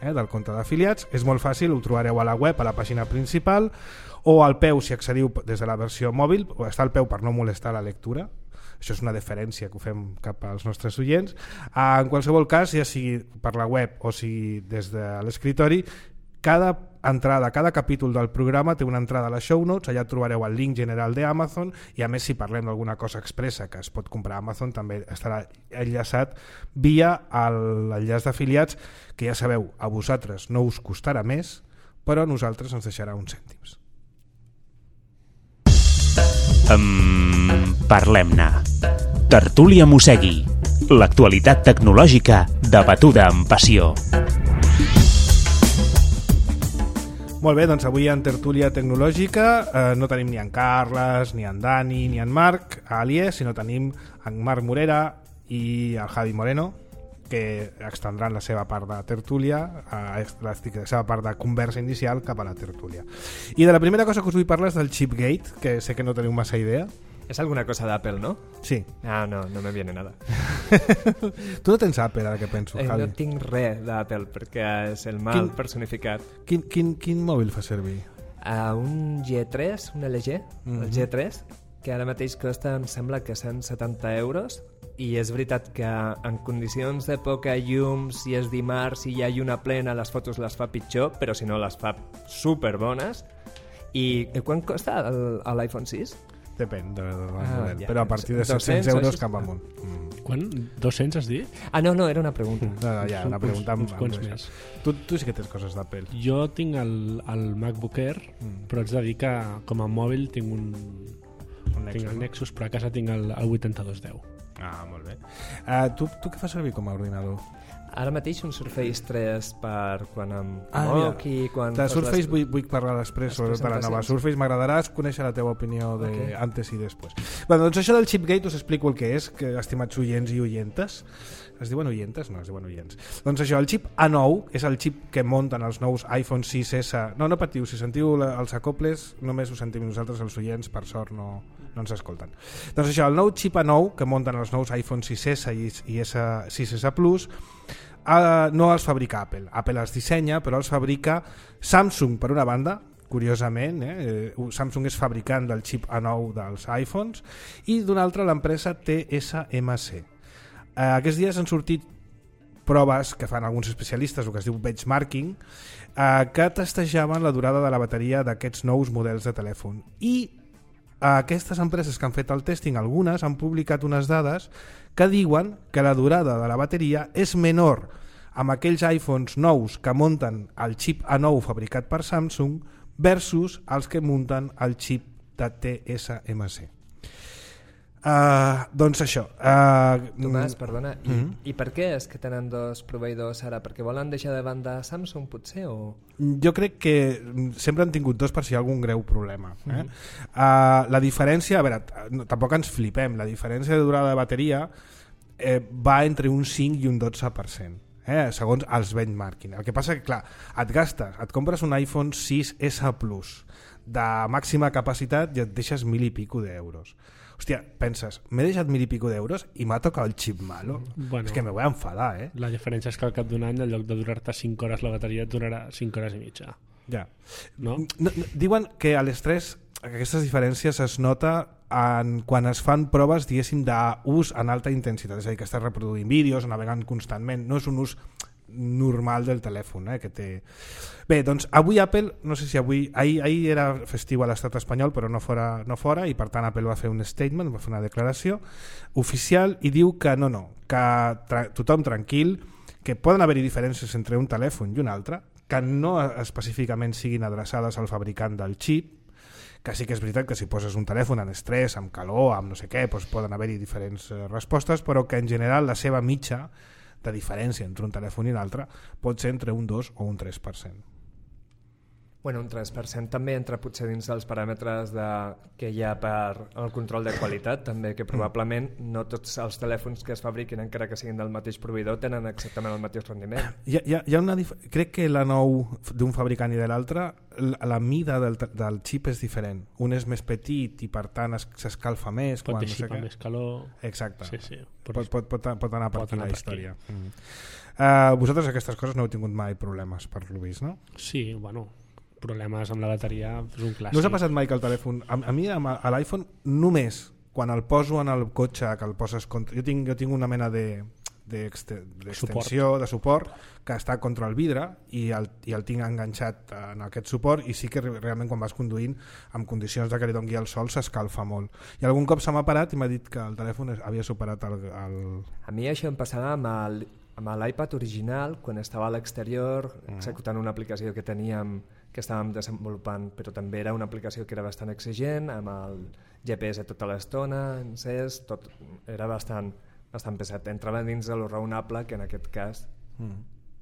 del compte d'afiliats. És molt fàcil, ho trobareu a la web, a la pàgina principal, o al peu si accediu des de la versió mòbil, o està al peu per no molestar la lectura. Això és una deferència que ho fem cap als nostres oients. En qualsevol cas, ja sigui per la web o sigui des de l'escritori, cada entrada, cada capítol del programa té una entrada a les show notes, allà trobareu el link general d'Amazon, i a més si parlem d'alguna cosa expressa que es pot comprar a Amazon també estarà enllaçat via l'enllaç d'afiliats, que ja sabeu, a vosaltres no us costarà més, però a nosaltres ens deixarà uns cèntims. Parlem-ne. Tertúlia Mossegui. L'actualitat tecnològica debatuda amb passió. Molt bé, doncs avui en Tertúlia Tecnològica no tenim ni en Carles, ni en Dani, ni en Marc Alié, sinó tenim en Marc Morera i el Javi Moreno, que extendran la seva part de tertúlia, la seva part de conversa inicial cap a la tertúlia. I de la primera cosa que us vull parlar és del Chipgate, que sé que no teniu massa idea. És alguna cosa d'Apple, no? Sí. No me viene nada. Tu no tens Apple, ara que penso, Javi? No tinc res d'Apple, perquè és el mal personificat. Quin mòbil fa servir? Un G3, un LG, el G3, que ara mateix costa, em sembla que 170 euros, i és veritat que en condicions de poca llum, si és dimarts, si hi ha lluna plena, les fotos les fa pitjor, però si no les fa superbones. I quan costa l'iPhone 6? Depèn del model, però a partir de 700 euros cap amunt. Quan? 200 has dit? No, era una pregunta. Ja, una pregunta uns quants més. Tu sí que tens coses d'Apple. Jo tinc el MacBook Air, però haig de dir que com a mòbil tinc tinc el Nexus, però a casa tinc el 8210. Molt bé. Tu què fas servir com a ordinador? Ara mateix un Surface 3 per quan em moc i quan... De Surface vull parlar després, sobretot de la nova Surface. M'agradarà conèixer la teva opinió antes i després. Bé, doncs això del Chipgate us explico el que és, que estimats oients i oientes. Es diuen oientes? No, es diuen oients. Doncs això, el xip A9 és el xip que munten els nous iPhone 6S. No patiu, si sentiu els acoples només ho sentim nosaltres, els oients, per sort no ens escolten. Doncs això, el nou xip A9 que munten els nous iPhone 6S i 6S Plus no els fabrica Apple. Apple els dissenya, però els fabrica Samsung, per una banda, curiosament, Samsung és fabricant del xip A9 dels iPhones, i d'una altra l'empresa TSMC. Aquests dies han sortit proves que fan alguns especialistes, el que es diu benchmarking, que testejaven la durada de la bateria d'aquests nous models de telèfon. I aquestes empreses que han fet el testing, algunes han publicat unes dades que diuen que la durada de la bateria és menor amb aquells iPhones nous que munten el xip A9 fabricat per Samsung versus els que munten el xip de TSMC. Doncs això. Tomàs, perdona, i per què és que tenen dos proveïdors ara? Perquè volen deixar de banda Samsung, potser? O... Jo crec que sempre han tingut dos per si hi ha algun greu problema. La diferència, a veure, tampoc ens flipem, la diferència de durada de bateria va entre un 5 i un 12%. Segons els benchmarking. El que passa que, clar, et compres un iPhone 6S Plus de màxima capacitat i et deixes 1.000 i pico d'euros. hòstia, penses, m'he deixat 1.000 i pico d'euros i m'ha tocat el xip malo. Bueno, és que me voy a enfadar, La diferència és que al cap d'un any, en lloc de durar-te 5 hores la bateria, et durarà 5 hores i mitja. Ja. No? Diuen que a l'estrès aquestes diferències es nota quan es fan proves, diguéssim, d'ús en alta intensitat, és a dir, que estàs reproduint vídeos, navegant constantment, no és un ús normal del telèfon que té. Bé, doncs avui Apple, no sé si ahir era festiu a l'estat espanyol però no fora, i per tant Apple va fer un statement, va fer una declaració oficial i diu que que tothom tranquil, que poden haver-hi diferències entre un telèfon i un altre, que no específicament siguin adreçades al fabricant del xip, que sí que és veritat que si poses un telèfon en estrès, amb calor, amb no sé què, doncs poden haver-hi diferents respostes, però que en general la seva mitja de diferència entre un telèfon i l'altre pot ser entre un 2 o un 3%. Bueno, un 3% també entra potser dins dels paràmetres que hi ha per el control de qualitat, també, que probablement no tots els telèfons que es fabriquin, encara que siguin del mateix proveïdor, tenen exactament el mateix rendiment. Hi ha crec que la nou d'un fabricant i de l'altre, la mida del xip és diferent. Un és més petit i per tant s'escalfa més. Pot dissipar més calor. Exacte. Sí. Pot anar per aquí la història. Vosaltres aquestes coses no heu tingut mai problemes, per lo vist, no? Sí, bueno, problemes amb la bateria és un clàssic. No us ha passat mai que el telèfon, a mi a l'iPhone només quan el poso en el cotxe, que el poses contra, jo tinc una mena d'extensió, de suport que està contra el vidre i el tinc enganxat en aquest suport, i sí que realment quan vas conduint en condicions de que li doni el sol s'escalfa molt, i algun cop se m'ha parat i m'ha dit que el telèfon havia superat el... A mi això em passava amb l'iPad original, quan estava a l'exterior executant una aplicació que teníem, que estàvem desenvolupant, però també era una aplicació que era bastant exigent, amb el GPS tota l'estona, encès, tot era bastant pesat. Entrava dins de lo raonable, que en aquest cas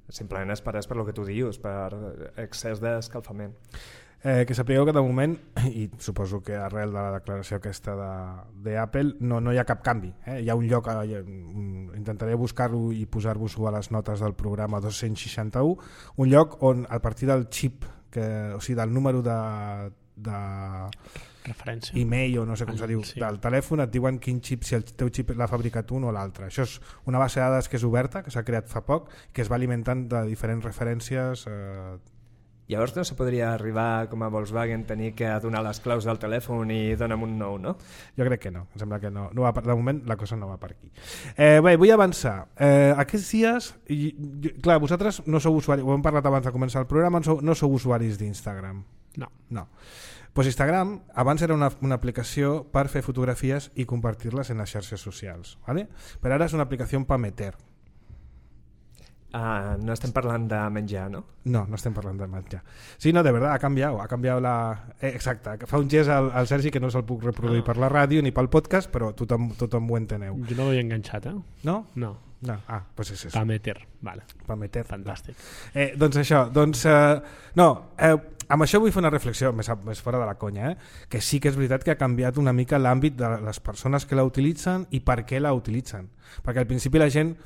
simplement és per lo que tu dius, per excés d'escalfament. Que sapigueu que de moment, i suposo que arrel de la declaració aquesta d'Apple, no hi ha cap canvi. Hi ha un lloc, intentaré buscar-lo i posar-vos-ho a les notes del programa 261, un lloc on a partir del xip, o sigui del número de referència, email o no sé com se diu, del telèfon, et diuen quin xip, si el teu xip l'ha fabricat un o l'altre. Això és una base de dades que és oberta, que s'ha creat fa poc, que es va alimentant de diferents referències. Llavors no se podria arribar com a Volkswagen, tenir que donar les claus del telèfon i dona'm un nou, no? Jo crec que no, em sembla que no. De moment la cosa no va per aquí. Bé, vull avançar. Aquests dies, clar, vosaltres no sou usuaris, ho hem parlat abans de començar el programa, no sou usuaris d'Instagram. No. Pues Instagram abans era una aplicació per fer fotografies i compartir-les en les xarxes socials, ¿vale? Però ara és una aplicació per meter. No estem parlant de menjar, no? No estem parlant de menjar. Sí, no, de verdad, ha canviat la... exacte, fa un gest al Sergi que no se'l puc reproduir per la ràdio ni pel podcast, però tothom ho enteneu. Jo no ho havia enganxat, No? No. Pues és això. Pameter, vale. Pameter. Fantàstic. Doncs això, amb això vull fer una reflexió més fora de la conya, que sí que és veritat que ha canviat una mica l'àmbit de les persones que la utilitzen i per què la utilitzen, perquè al principi la gent,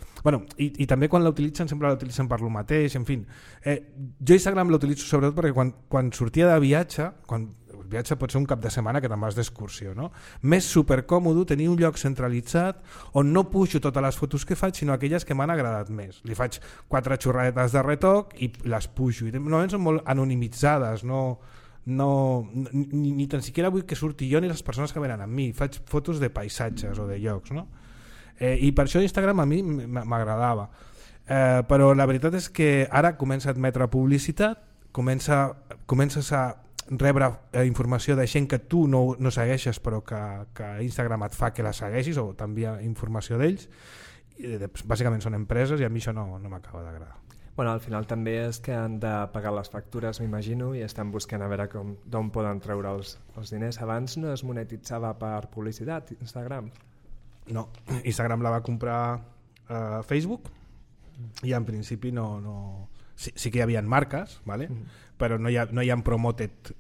i també quan la utilitzen sempre la utilitzen per lo mateix, en fi. Jo Instagram l'utilitzo sobretot perquè quan sortia de viatge, el viatge pot ser un cap de setmana que te'n vas d'excursió, no? Més supercòmodo tenir un lloc centralitzat on no pujo totes les fotos que faig, sinó aquelles que m'han agradat més. Li faig 4 xorradetes de retoc i les pujo. Normalment són molt anonimitzades, ni tan siquiera vull que surti jo ni les persones que venen amb mi. Faig fotos de paisatges o de llocs, no? I per això Instagram a mi m'agradava. Però la veritat és que ara comença a admetre publicitat, comences a rebre informació de gent que tu no segueixes però que Instagram et fa que la segueixis o t'envia informació d'ells. Bàsicament són empreses i a mi això no m'acaba d'agradar. Bueno, al final també és que han de pagar les factures, m'imagino, i estan buscant a veure d'on poden treure els diners. Abans no es monetitzava per publicitat, Instagram? No, Instagram la va comprar Facebook i en principi no... Sí que hi havia marques, ¿vale? Però no hi ha promoted,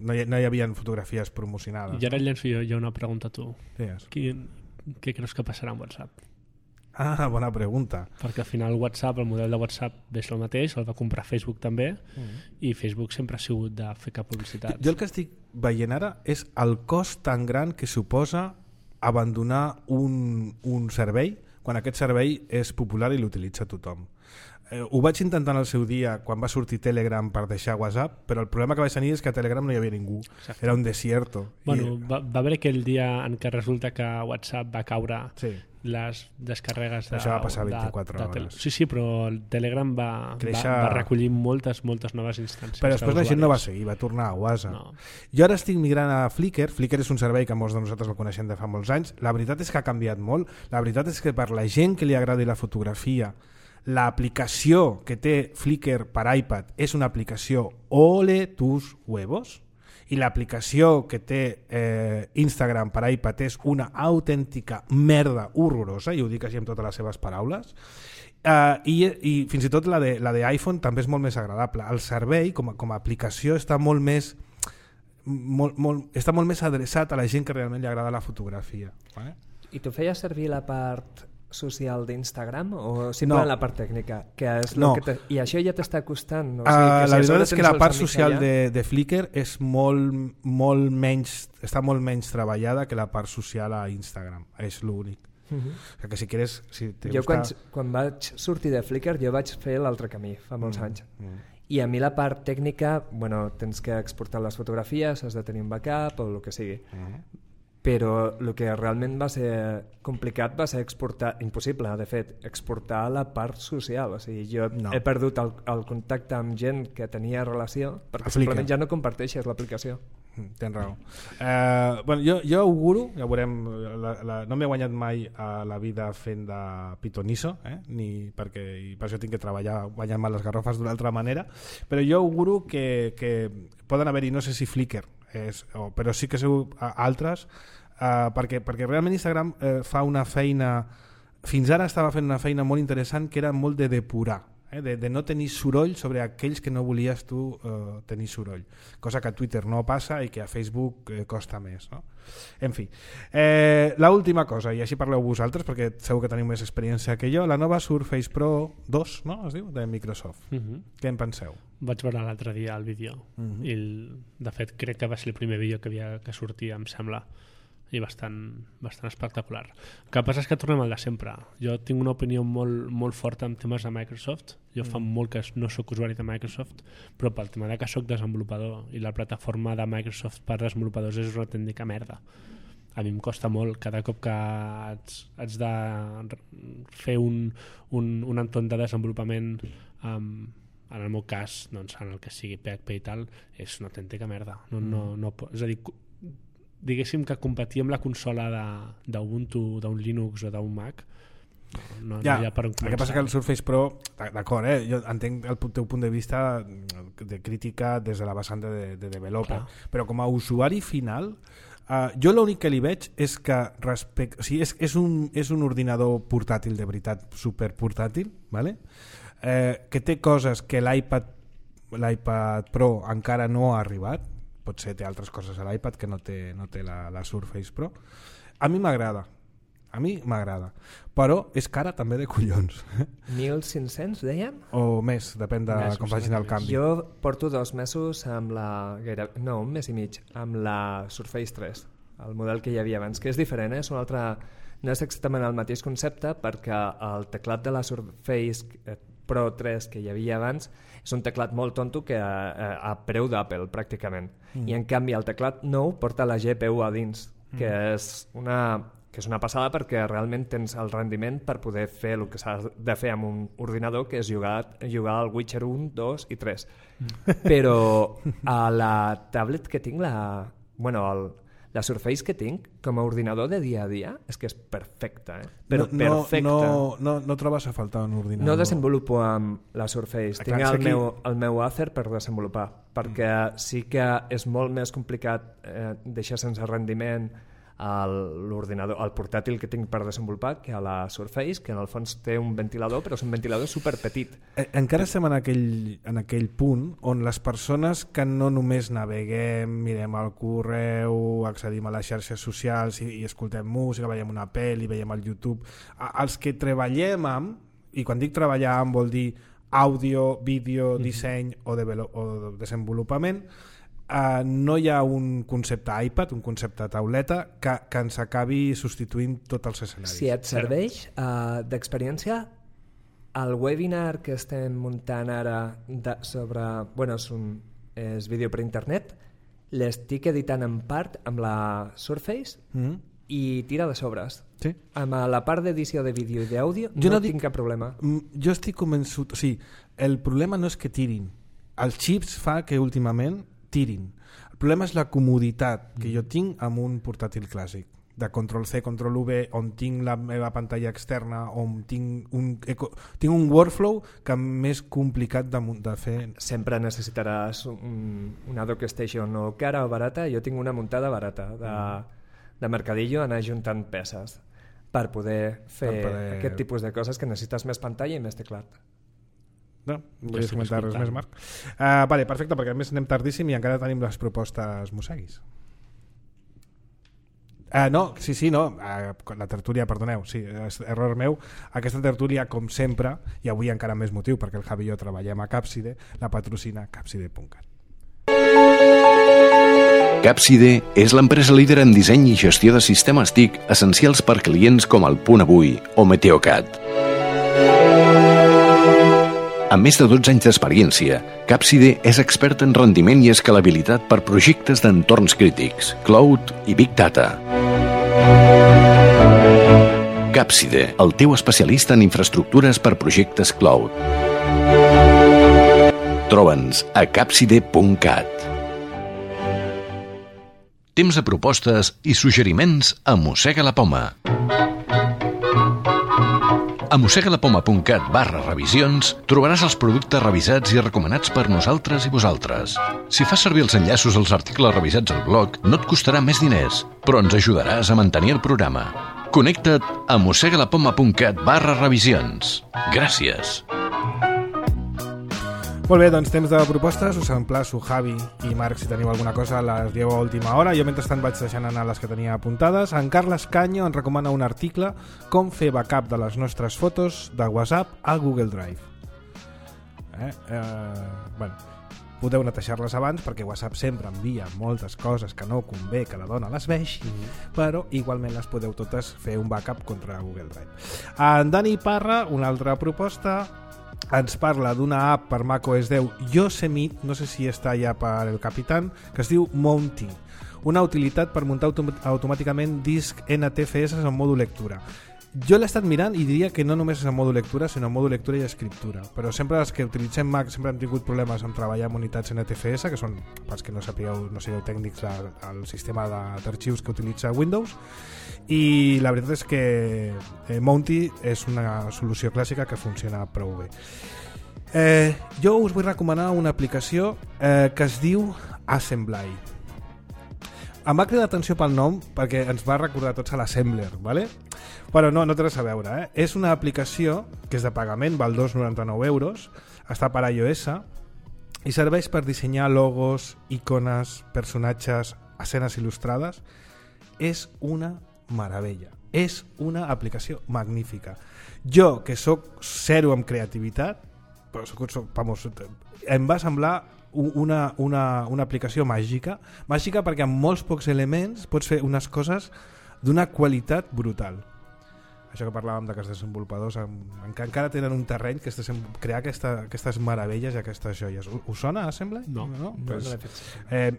no hi havia fotografies promocionades. I ara llenço jo una pregunta a tu. Digues. Què creus que passarà amb WhatsApp? Bona pregunta. Perquè al final WhatsApp, el model de WhatsApp és el mateix, el va comprar Facebook també, i Facebook sempre ha sigut de fer cap publicitat. Jo el que estic veient ara és el cost tan gran que suposa abandonar un servei quan aquest servei és popular i l'utilitza tothom. Ho vaig intentar en el seu dia quan va sortir Telegram per deixar WhatsApp, però el problema que vaig tenir és que a Telegram no hi havia ningú. Exacte. Era un desierto. Bueno, va haver aquell dia en què resulta que WhatsApp va caure les descarregues Això va passar 24 hores. Sí, però el Telegram va recollir moltes noves instàncies. Però després la gent no va seguir, va tornar a WhatsApp. No. Jo ara estic migrant a Flickr. Flickr és un servei que molts de nosaltres el coneixem de fa molts anys. La veritat és que ha canviat molt. La veritat és que per la gent que li agradi la fotografia, l'aplicació que té Flickr per iPad és una aplicació ole tus huevos, i l'aplicació que té Instagram per iPad és una autèntica merda horrorosa, i ho dic així amb totes les seves paraules, i fins i tot la d'iPhone també és molt més agradable. El servei com a aplicació està molt més adreçat a la gent que realment li agrada la fotografia. Vale? I tu feies servir la part social d'Instagram o simplement la part tècnica? Que és I això ja t'està costant? O sigui, la veritat és que la part social de Flickr és està molt menys treballada que la part social a Instagram. És l'únic. Que si quieres, quan vaig sortir de Flickr jo vaig fer l'altre camí fa molts anys. I a mi la part tècnica, tens que exportar les fotografies, has de tenir un backup o el que sigui. Però el que realment va ser complicat va ser impossible, de fet, exportar la part social. O sigui, jo he perdut el contacte amb gent que tenia relació perquè simplement ja no comparteixes l'aplicació. Tens raó. Jo auguro, ja veurem, no m'he guanyat mai a la vida fent de pitonisso, ni perquè per això tinc que treballar guanyant-me les garrofes d'una altra manera, però jo auguro que poden haver-hi, no sé si Flickr, però sí que sou altres, perquè realment Instagram fa una feina, fins ara estava fent una feina molt interessant, que era molt de depurar, de no tenir soroll sobre aquells que no volies tu tenir soroll, cosa que a Twitter no passa i que a Facebook costa més, no? En fi, l'última cosa, i així parleu vosaltres perquè segur que teniu més experiència que jo, la nova Surface Pro 2, no? Es diu, de Microsoft. Què en penseu? Vaig veure l'altre dia el vídeo i de fet crec que va ser el primer vídeo que sortia, em sembla, i bastant espectacular. El que passa és que tornem al de sempre. Jo tinc una opinió molt forta en temes de Microsoft. Jo fa molt que no sóc usuari de Microsoft, però pel tema de que sóc desenvolupador i la plataforma de Microsoft per desenvolupadors és una autèntica merda. A mi em costa molt cada cop que haig de fer un entorn de desenvolupament, en el meu cas, en el que sigui PHP i tal, és una autèntica merda. És a dir, diguéssim que competir amb la consola d'Ubuntu, d'un Linux o d'un Mac no hi ha per on començar. El que passa que el Surface Pro, d'acord, jo entenc el teu punt de vista de crítica des de la vessant de developer, però com a usuari final jo l'únic que li veig és que és un ordinador portàtil de veritat, superportàtil, ¿vale? Que té coses que l'iPad Pro encara no ha arribat, potser té altres coses a l'iPad que no té la Surface Pro. A mi m'agrada, però és cara també de collons. 1.500, dèiem? O més, depèn de com facin el canvi. Jo porto 2 mesos amb un mes i mig, amb la Surface 3, el model que hi havia abans, que és diferent, no és exactament el mateix concepte, perquè el teclat de la Surface Pro 3 que hi havia abans és un teclat molt tonto que a preu d'Apple pràcticament, i en canvi el teclat nou porta la GPU a dins, que és una passada perquè realment tens el rendiment per poder fer el que s'ha de fer amb un ordinador, que és jugar al Witcher 1, 2 i 3. Però a la tablet que tinc, la Surface que tinc com a ordinador de dia a dia és que és perfecta, però perfecta. No trobes a faltar un ordinador? No desenvolupo amb la Surface, tinc el meu Acer per desenvolupar, perquè sí que és molt més complicat deixar sense rendiment l'ordinador, el portàtil que tinc per desenvolupar, que a la Surface, que en el fons té un ventilador, però és un ventilador superpetit. Encara estem en aquell punt on les persones que no només naveguem, mirem el correu, accedim a les xarxes socials i escoltem música, veiem una pel·li, veiem el YouTube, els que treballem amb, i quan dic treballar amb vol dir àudio, vídeo, disseny o desenvolupament, no hi ha un concepte iPad, un concepte tauleta que ens acabi substituint tots els escenaris. Si et serveix d'experiència, el webinar que estem muntant ara sobre... és vídeo per internet, l'estic editant en part amb la Surface i tira de sobres. Sí. Amb la part d'edició de vídeo i d'àudio no tinc cap problema. Jo estic convençut... O sigui, el problema no és que tirin. Els xips fa que últimament tirin. El problema és la comoditat que jo tinc amb un portàtil clàssic, de Ctrl-C, Ctrl-V, on tinc la meva pantalla externa, on tinc un workflow que m'és complicat de fer. Sempre necessitaràs una DockStation o cara o barata. Jo tinc una muntada barata de Mercadillo, anar juntant peces per poder fer aquest tipus de coses que necessites més pantalla i més teclat. No volies comentar res més, Marc? Vale, perfecte, perquè a més anem tardíssim i encara tenim les propostes Museguis. La tertúlia, perdoneu, sí, error meu. Aquesta tertúlia, com sempre, i avui encara més motiu, perquè el Javi i jo treballem a Capside, la patrocina Capside.cat. Capside és l'empresa líder en disseny i gestió de sistemes TIC essencials per clients com el Punt Avui o Meteocat. Amb més de 12 anys d'experiència, Capside és expert en rendiment i escalabilitat per projectes d'entorns crítics, cloud i big data. Capside, el teu especialista en infraestructures per projectes cloud. Troba'ns a capside.cat. Temps de propostes i suggeriments a Mossega la Poma. A mossegalapoma.cat/revisions trobaràs els productes revisats i recomanats per nosaltres i vosaltres. Si fas servir els enllaços als articles revisats al blog, no et costarà més diners, però ens ajudaràs a mantenir el programa. Connecta't a mossegalapoma.cat/revisions. Gràcies. Molt bé, doncs temps de propostes. Us emplaço, Javi i Marc, si teniu alguna cosa, les dieu a última hora. Jo mentrestant vaig deixant anar les que tenia apuntades. En Carles Canyo ens recomana un article: com fer backup de les nostres fotos de WhatsApp a Google Drive. Podeu netejar-les abans, perquè WhatsApp sempre envia moltes coses que no convé que la dona les vegi, però igualment les podeu totes fer un backup contra Google Drive. En Dani Parra, una altra proposta, ens parla d'una app per macOS 10 Yosemite, no sé si està ja per el Capitán, que es diu Mounty, una utilitat per muntar automàticament disc NTFS en modo lectura. Jo l'he estat mirant i diria que no només és en modo lectura, sinó en modo lectura i escriptura, però sempre els que utilitzem Mac sempre hem tingut problemes en treballar amb unitats NTFS, que són, pels que no sigueu tècnics, el sistema d'arxius que utilitza Windows, i la veritat és que Mounty és una solució clàssica que funciona prou bé. Jo us vull recomanar una aplicació que es diu Assembly. Em va cridar l'atenció pel nom perquè ens va recordar tots a l'Assembler, ¿vale? Però no té res a veure. És una aplicació que és de pagament, val 2,99 €, està per iOS i serveix per dissenyar logos, icones, personatges, escenes il·lustrades. És una meravella. És una aplicació magnífica. Jo, que sóc zero amb creativitat, però em va semblar una aplicació màgica perquè amb molts pocs elements pots fer unes coses d'una qualitat brutal. Això que parlàvem de que els desenvolupadors encara tenen un terreny que és crear aquestes meravelles i aquestes joies. Us sona Assembly? No.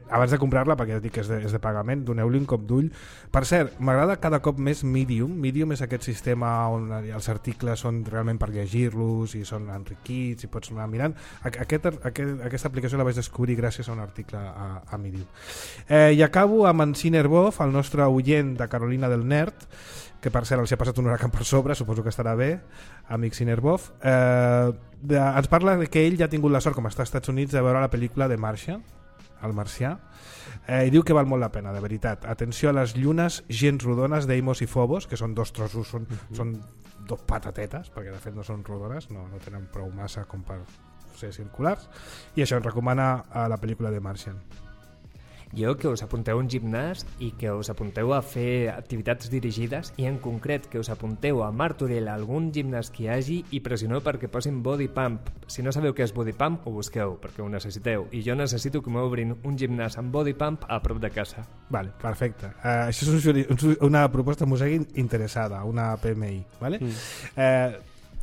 Abans de comprar-la, perquè ja dic que és de pagament, doneu-li un cop d'ull. Per cert, m'agrada cada cop més Medium. Medium és aquest sistema on els articles són realment per llegir-los i són enriquits i pots anar mirant. Aquesta aplicació la vaig descobrir gràcies a un article a Medium. I acabo amb en Cinerbov, el nostre oient de Carolina del Nerd, que per cert els ha passat un huracán per sobre, suposo que estarà bé, amic Cinerbov. Ens parla que ell ja ha tingut la sort, com està als Estats Units, de veure la pel·lícula de Martian, el marcià, i diu que val molt la pena, de veritat. Atenció a les llunes gens rodones d'Eimos i Phobos, que són dos trossos, són dos patatetes, perquè de fet no són rodones, no tenen prou massa com per ser circulars, i això ens recomana a la pel·lícula de Martian. Jo que us apunteu a un gimnàs i que us apunteu a fer activitats dirigides i en concret que us apunteu a Martorell a algun gimnàs que hi hagi i pressioneu perquè posin body pump. Si no sabeu què és body pump, ho busqueu perquè ho necessiteu i jo necessito que m'obrin un gimnàs amb body pump a prop de casa. Vale, perfecte. Això és una proposta musegui interessada, una PMI, vale?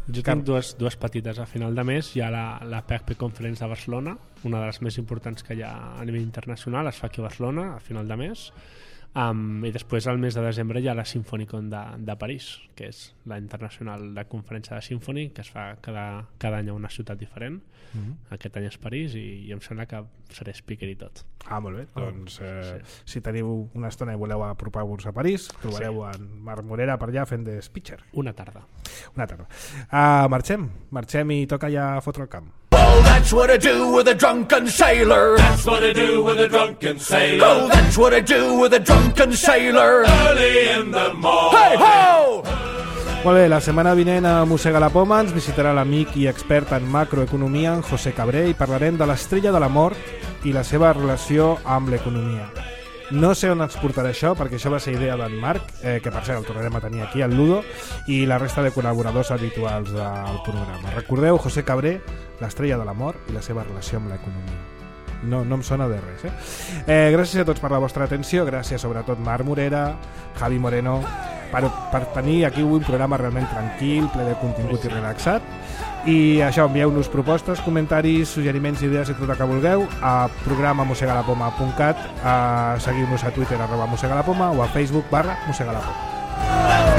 Jo tinc dues petites. A final de mes hi ha la PHP Conference de Barcelona, una de les més importants que hi ha a nivell internacional, es fa aquí a Barcelona a final de mes, i després al mes de desembre hi ha la Symfonicon de París, que és la internacional de conferència de Symfony, que es fa cada any a una ciutat diferent. Aquest any és París i em sembla que seré speaker i tot. Molt bé, doncs si teniu una estona i voleu apropar-vos a París, trobareu en Marc Morera per allà fent de speaker. Una tarda. Marxem i toca ja fotre el camp. Oh, that's what I do with a drunken sailor. That's what I do with a drunken sailor. Oh, that's what I do with a drunken sailor. Early in the morning. Hey ho! Molt bé, la setmana vinent a Mossega la Poma ens visitarà l'amic i expert en macroeconomia, en José Cabré, i parlarem de l'estrella de la mort i la seva relació amb l'economia. No sé on ens portarà això, perquè això va ser idea d'en Marc, que per cert el tornarem a tenir aquí, al Ludo, i la resta de col·laboradors habituals del programa. Recordeu, José Cabré, l'estrella de la mort i la seva relació amb l'economia. No em sona de res, gràcies a tots per la vostra atenció, gràcies sobretot Marc Morera, Javi Moreno, per tenir aquí un programa realment tranquil, ple de contingut i relaxat. I això, envieu-nos propostes, comentaris, suggeriments, idees i tot el que vulgueu a programa@mossegalapoma.cat, seguiu-nos a Twitter @mossegalapoma o a Facebook /mossegalapoma.